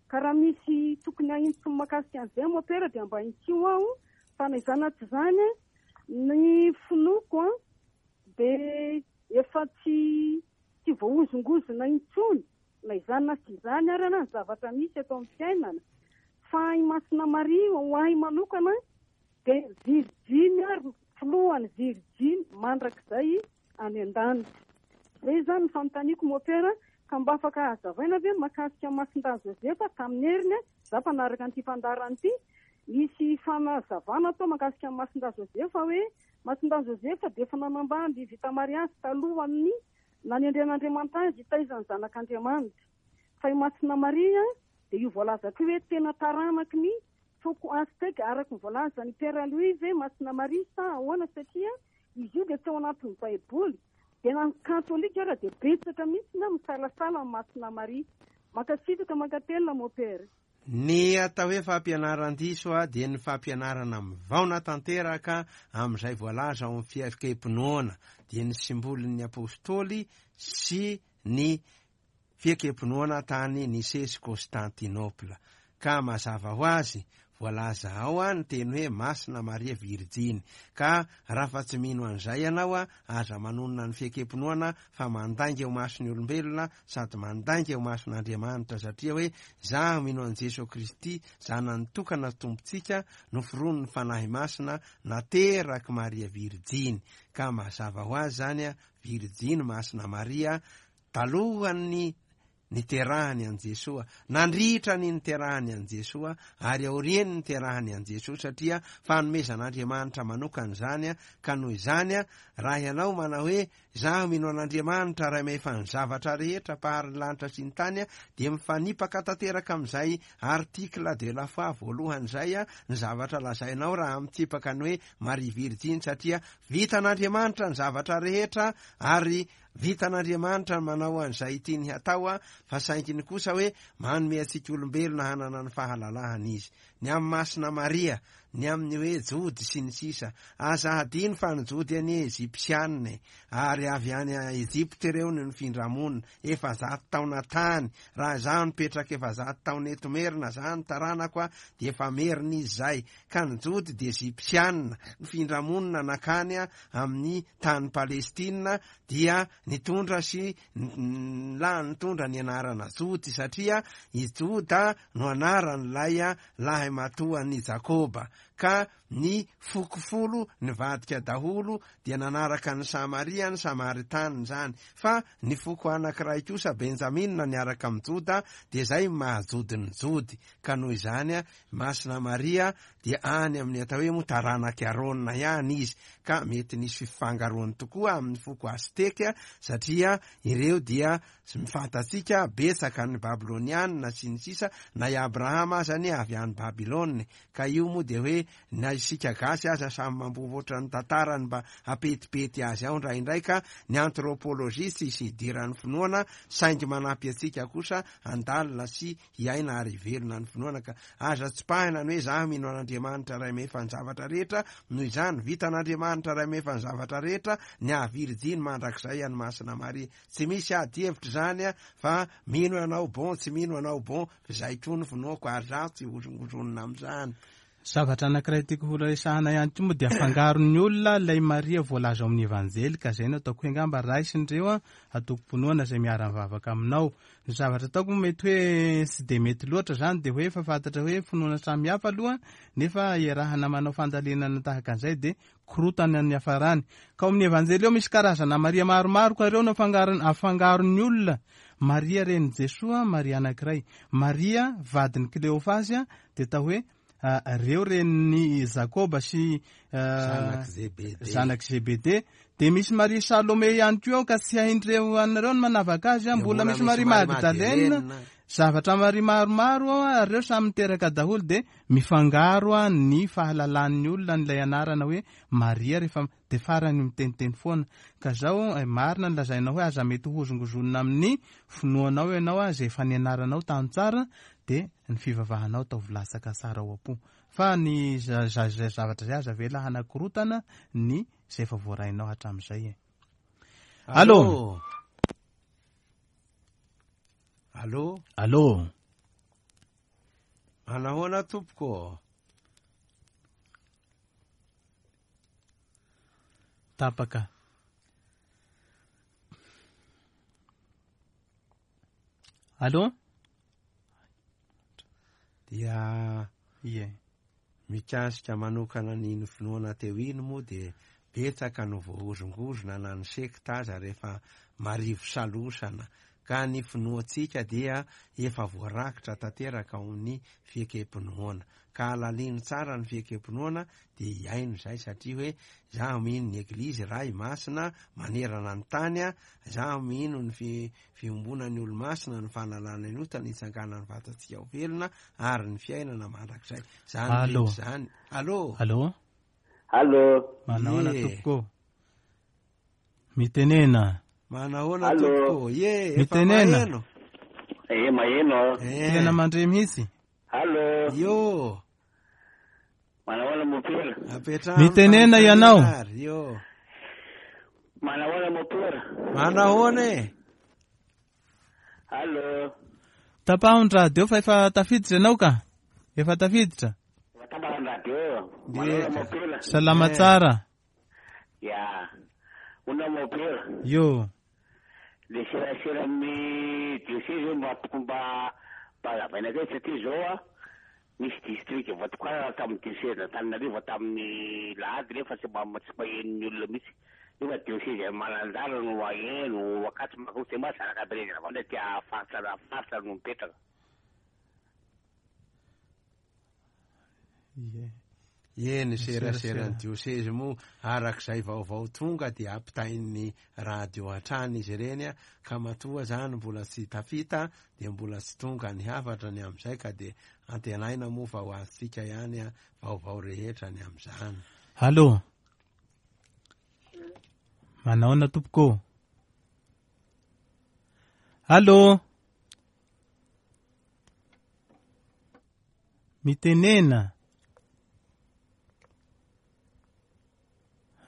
Ka raha misy tokony haintsy mahakasika an'izay mopera dia mba haintsio aho fa na izany na tsy izany ny finoako dia efa tsy tsy voahozongozona intsony na izany na tsy izany arana ny zavatra misy eto amin'ny fiainana. Fa i Masina Maria ho ahy manokana dia virjiny ary filohany virjiny mandrakizay any an-danitra. Izay izany ny fanontaniako mopera ka mba afaka hazavaina ve mahakasika Masindahy Joseph tamin'ny heriny za mpanaraka an'ity fandaharana ity nisy fanazavana atao mahakasika Masindahy Joseph hoe Masindahy Joseph dia efa nanambady vita mariazy talohan'ny nanendren'Andriamanitra azy hitaiza ny zanak'Andriamanitra. Fa i Masina Maria dia io voalazako hoe tena taranaky ny foko Aztèque araka ny voalazan'i Père Louis ve Masina Maria sa ahoana satria izy io dia tsy ao anatin'ny Baiboly. Dia na katolika ary dia betsaka mihitsy na misalasala amin'ny Masina Maria. Mankasitraka mankatelina mopera. Ny atao hoe fampianaran-diso dia ny fampianarana mivaona tanteraka amin'izay voalaza ao amin'ny fiaikem-pinoana, dia ny simbolin'ny apôstôly sy ny fiaikem-pinoana tany Nicée sy Constantinople. Ka mazava ho azy voalaza ao ny teny hoe Masina Maria Virjiny. Ka raha fa tsy mino an'izay ianao aza manonona ny fiaikem-pinoana fa mandainga eo mason'ny olombelona sady mandainga eo mason'Andriamanitra satria hoe zaho mino an'i Jesoa Kristy zanany tokana Tompontsika noforonin'ny Fanahy Masina nateraky Maria Virjiny. Ka mazava ho azy zany Virjiny Masina Maria talohan'ny niterahany an'i Jesoa, nandritra ny niterahany an'i Jesoa ary aorian'ny niterahany an'i Jesoa satria fanomezan'Andriamanitra manokana izany. Ka noho izany raha ianao manao hoe zaho mino an'Andriamanitra ray mahefa ny zavatra rehetra mpahary ny lanitra sy ny tany dia mifanipaka tanteraka amin'izay article de la foi voalohany izay ny zavatra lazainao raha mitsipaka ny hoe Maria Virjiny satria vitan'Andriamanitra ny zavatra rehetra ary vitan'Andriamanitra ny manao an'izay tiany hatao fa sainginy kosa hoe manome antsika olombelona hanana ny fahalalahana izy. Ny amin'ny Masina Maria, ny amin'ny hoe Jody sy ny sisa. Aza hadino fa ny Jody anie Ejipsianina ary avy any Ejipta ireo no nifindra-monina efajato taona tany. Raha izaho nipetraka efajato taona eto Merina, za ny taranako dia efa Merina izy zay. Ka ny Jody dia Ejipsianina nifindra-monina nakany amin'ny tany Palestina dia nitondra sy la nitondra ny anarana Jody satria i Joda no anaran'ilay lahy matoan'i Jakoba. Ka ny foko folo nivadika daholo dia nanaraka ny Samaria ny Samaritanina izany. Fa ny foko anankiray kosa Benjamina niaraka amin'ny Joda dia izay mahajody ny Jody. Ka noho izany Masina Maria dia any amin'ny atao hoe moa taranak'i Arona ihany izy. Ka mety nisy fifangaroany tokoa amin'ny foko Azteka satria ireo dia mifantatsika betsaka ny Babylonianina sy ny sisa na i Abrahama aza anie avy any Babylone. Ka io moa dia hoe na isika gasy aza samy mambovoatra ny tantarany mba hapetipety azy ao indraindray. Ka ny anthropologie tsisy idiran'ny finoana saingy manampy antsika kosa handalina sy hiaina ary hivelona ny finoana. Ka aza tsipahina ny hoe zaho mino an'Andriamanitra ray mahefa ny zavatra rehetra, noho izany vitan'Andriamanitra ray mahefa ny zavatra rehetra ny hahavirjiny mandrakizay an'i Masina Maria. Tsy misy ady hevitra izany fa mino ianao bon, tsy mino ianao bon, fa izay koa ny finoako ary zaho tsy hozongozonina amin'izany. Zavatra anankiray tiako ho resahana ihany koa moa dia afangaron'ny olona ilay Maria voalaza ao amin'ny Evanjely, ka izay no ataoko hoe angamba raisin'ireo a antokom-pinoana izay miara-mivavaka aminao. Ny zavatra ataoko moa mety hoe tsy dia mety loatra izany, dia hoe efa fantatra hoe finoana samihafa aloha, nefa iarahana manao fandalinana tahaka an'izay dia korotana ny hafarany. Ka ao amin'ny Evanjely ao misy karazana Maria maromaro, ka ireo no afangaron-, afangaron'ny olona. Maria renin'i Jesoa, Maria anankiray. Maria vadin'i Kleofasy, dia atao hoe reo renin'i Jakoba sy Zanak'i Zebede. zanak'i Zebede. Dia misy Maria Salome ihany koa ao, ka tsy haindreo anareo ny manavaka azy, Dia mbola mbola misy misy Maria Maria Magdalena. Magdalena. Zavatra Maria maromaro ao, ary reo samy miteraka daholo, dia mifangaro ny fahalalan'ny olona n'ilay anarana hoe Maria rehefa dia farany miteniteny foana. Ka zao, eh, marina ny lazainao hoe aza mety hozongozonina amin'ny finoanao ianao, a, izay efa nianaranao tany tsara, dia ny fivavahanao ataovy latsaka tsara ao am-po. Fa ny za-, za-, zay zavatra izay aza avela hanakorotana ny izay efa voarainao hatramin'izay e. Allô? Allô? Allô? Manahoana tompoko? Tapaka. Allô? Dia Ie. mikasika manokana ny finoana teo iny moa dia betsaka no voahozongozona na ny sekta aza rehefa marivo salosana, ka ny finoantsika dia efa voarakitra tanteraka ao amin'ny fiekem-pinoana. Ka alalino tsara ny fiekem-pinoana dia hiaino izay, satria hoe zaho mino ny Eglizy Ray Masina manerana ny tany, a, zaho mino ny fi-, fiombonan'ny olo-masina, ny fanalana ny ota, ny hitsanganan'ny vatantsika ho velona ary ny fiainana mandrakizay. Zany Allô. rehetra zany. Allô. Allô. Allô. Manahoana Ye. tompoko? Mitenena. Manahoana Allô. tompoko? Ye, efa Mitenena. maheno. Eh, maheno. Eh. Tena mandre mihitsy. Allô. Yo. Manahoana mopera? Apetrahana Mitenena fanontaniana ianao. ary, yo. Manahoana mopera? Manahoana e? Allô. Tapaho ny radio fa efa tafiditra ianao ka. Efa tafiditra. Efa tapaka ny radio. Manahoana mopera? Salama Eh. tsara. Ya. Una mopera. Yo. Le serasera amin'ny diocese mba tokony mba mba hazavaina kely satria zao a misy district voatokana tamin'ny diocese Antananarivo tamin'ny lahady nefa tsy mba tsy maheno ny olona mihitsy. Nefa diocese Mananjara no maheno, Ankatso Maroso dia mba zanaka Berezina avao ndray tia faritra faritra no mipetraka. Ie. Ie, ny Ny seraseran'ny serasera. diocese moa arak'izay vaovao tonga dia ampitain'ny radio hatrany izy ireny, a, ka matoa zany mbola tsy tafita dia mbola tsy tonga ny hafatra ny amin'izay, ka dia antenaina moa fa ho azontsika ihany, a, vaovao rehetra ny amin'izany. Allô. Manahoana tompoko? Allô. Mitenena.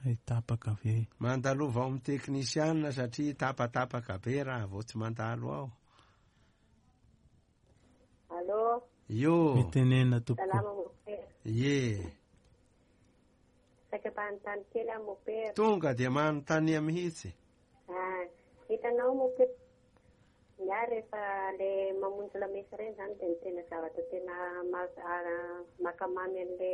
Ay, tapaka ve? Mandalova ao amin'ny teknisianina satria tapatapaka be raha vao tsy mandalo ao. Allô. Yo. Mitenena tompoko. Salama mopera. Ye. Saika mpanontany kely aho mopera. Tonga dia manontania mihitsy. Ah, hitanao mopera. Ny ahy rehefa le mamonjy lamesa ireny zany dia ny tena zavatra tena ma-, ah, makamamy an'le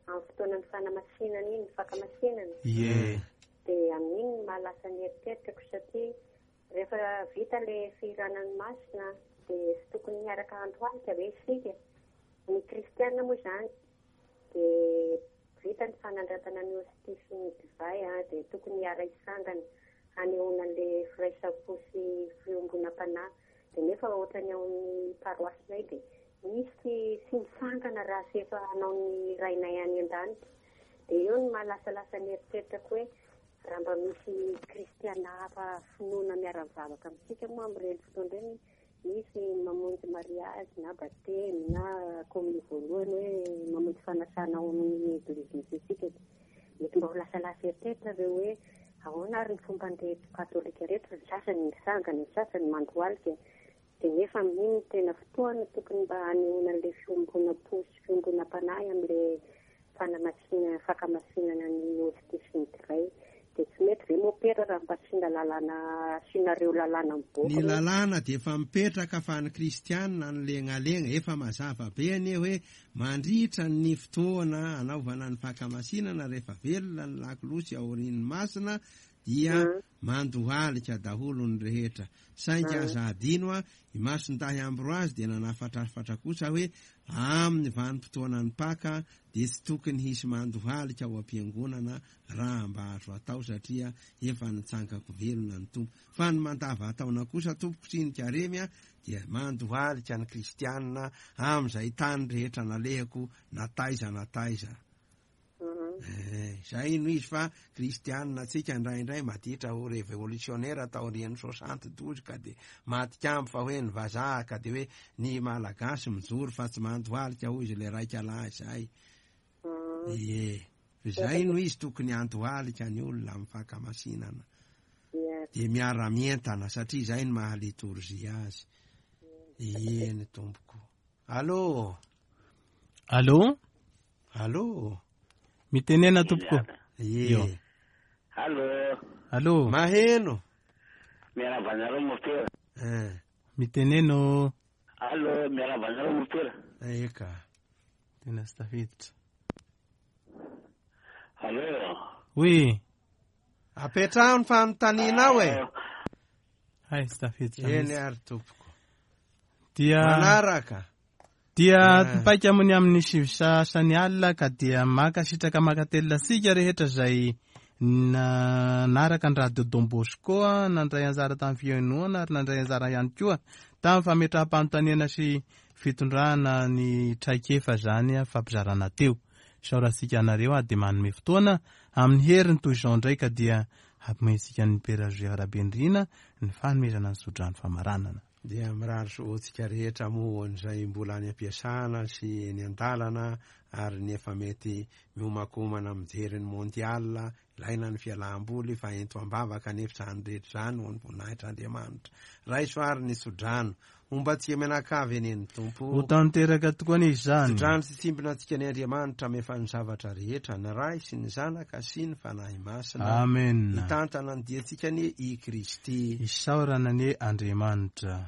amin'ny fotoanan'ny fanamasinana iny, ny fakamasinana. Ie. Dia amin'iny no mahalasa ny eritreritrako satria rehefa vita le fihiranan'ny masina dia tsy tokony hiaraka androalika ve isika. Ny kristiana moa izany dia vita ny fanandratana ny hostia sy ny divay, a, dia tokony hiara-hisangana hanehoana an'le firaisam-po sy fiombonam-panahy. Dia nefa ohatran'ny ao amin'ny paroasinay dia misy tsy misangana raha tsy efa hanao ny rainay any an-danitra. Dia eo no mahalasalasa ny eritreritrako hoe raha mba misy kristiana hafa finoana miara-mivavaka amintsika moa amin'ireny fotoana ireny, misy mamonjy mariazy na batemy na komin'ny voalohany hoe mamonjy fanasana ao amin'ny eglizy misy antsika. Mety mba ho lasalasa eritreritra ireo hoe ahoana ary ny fomban'ireto katolika ireto, ny sasany misangana, ny sasany mandohalika. Dia nefa amin'iny no tena fotoana tokony mba hanehoana an'ilay fiombonam-po sy fiombonam-panahy amin'ilay fanamasinana, fankamasinana ny hostia sy ny divay. Dia tsy mety ve mopera raha mba asiana lalàna, asianareo lalàna mivoaka Ny hoe lalàna dia efa mipetraka fa ny kristianina no lengalenga. Efa mazava be anie hoe mandritra ny fotoana anaovana ny fankamasinana rehefa velona ny lakolosy aorian'ny masina dia mandohalika daholo ny rehetra. Saingy aza adino a, i Masindahy Ambroise dia nanafatrafatra kosa hoe amin'ny vanim-potoanan'ny Paka dia tsy tokony hisy mandohalika ao am-piangonana raha mba azo atao satria efa nitsangako velona ny Tompo. Fa ny mandava-taona kosa tompoko sy ny karemy a, dia mandohalika ny kristianina amin'izay tany rehetra nalehako na taiza na taiza. Eh, zay no izy fa kristianina antsika indraindray maditra ho révolutionnaire taorian'ny soixante douze ka de matikambo fa hoe ny vazaha ka de hoe ny malagasy mijoro fa tsy mandohalika hoy izy le raika lahy zay. Ie, zay no izy tokony andohalika ny olona amin'ny fankamasinana. De miara-mientana satria zay no maha litorjia azy. Ie ny tompoko. Allô? Allô? Allô? Mitenena tompoko. Ie. Io. Allô? Allô? Maheno. Miarahaba anareo mopera. Eh. Miteneno. Allô, miarahaba anareo mopera. Eka. Tena tsy tafiditra. Allô? Oui. Apetraho ny fanontanianao e. Hay, tsy tafiditra Eny mihitsy. ary tompoko. Dia Manaraka. Dia Ah. mipaika aminy amin'ny sivy sasany alina ka dia mankasitraka mankatelina antsika rehetra izay nanaraka ny radio Don Bosco nandray anjara tamin'ny fihainoana ary nandray anjara ihany koa tamin'ny fametraham-panontaniana sy fitondrana ny traikefa zany fampizarana teo. Isaorantsika anareo a dia manome fotoana amin'ny heriny toy izao indray ka dia hamoentsika ny Père Joseph Rabendrina ny fanomezana ny tsodrano famaranana. Dia mirary soa antsika rehetra moa izay mbola any am-piasana sy eny an-dalana ary ny efa mety miomakomana mijery ny mondial, ilaina ny fialam-boly fa ento am-bavaka nefa izany rehetra izany ho an'ny voninahitr'Andriamanitra. Raiso ary ny tsodrano. Homba antsika mianakavy anie ny Tompo. Ho tanteraka tokoa anie izany. Tsodrano sy tsimbina antsika ny Andriamanitra mefa ny zavatra rehetra, ny Ray sy ny Zanaka sy ny Fanahy Masina. Amen. Hitantana ny diantsika anie i Kristy. Isaorana anie Andriamanitra.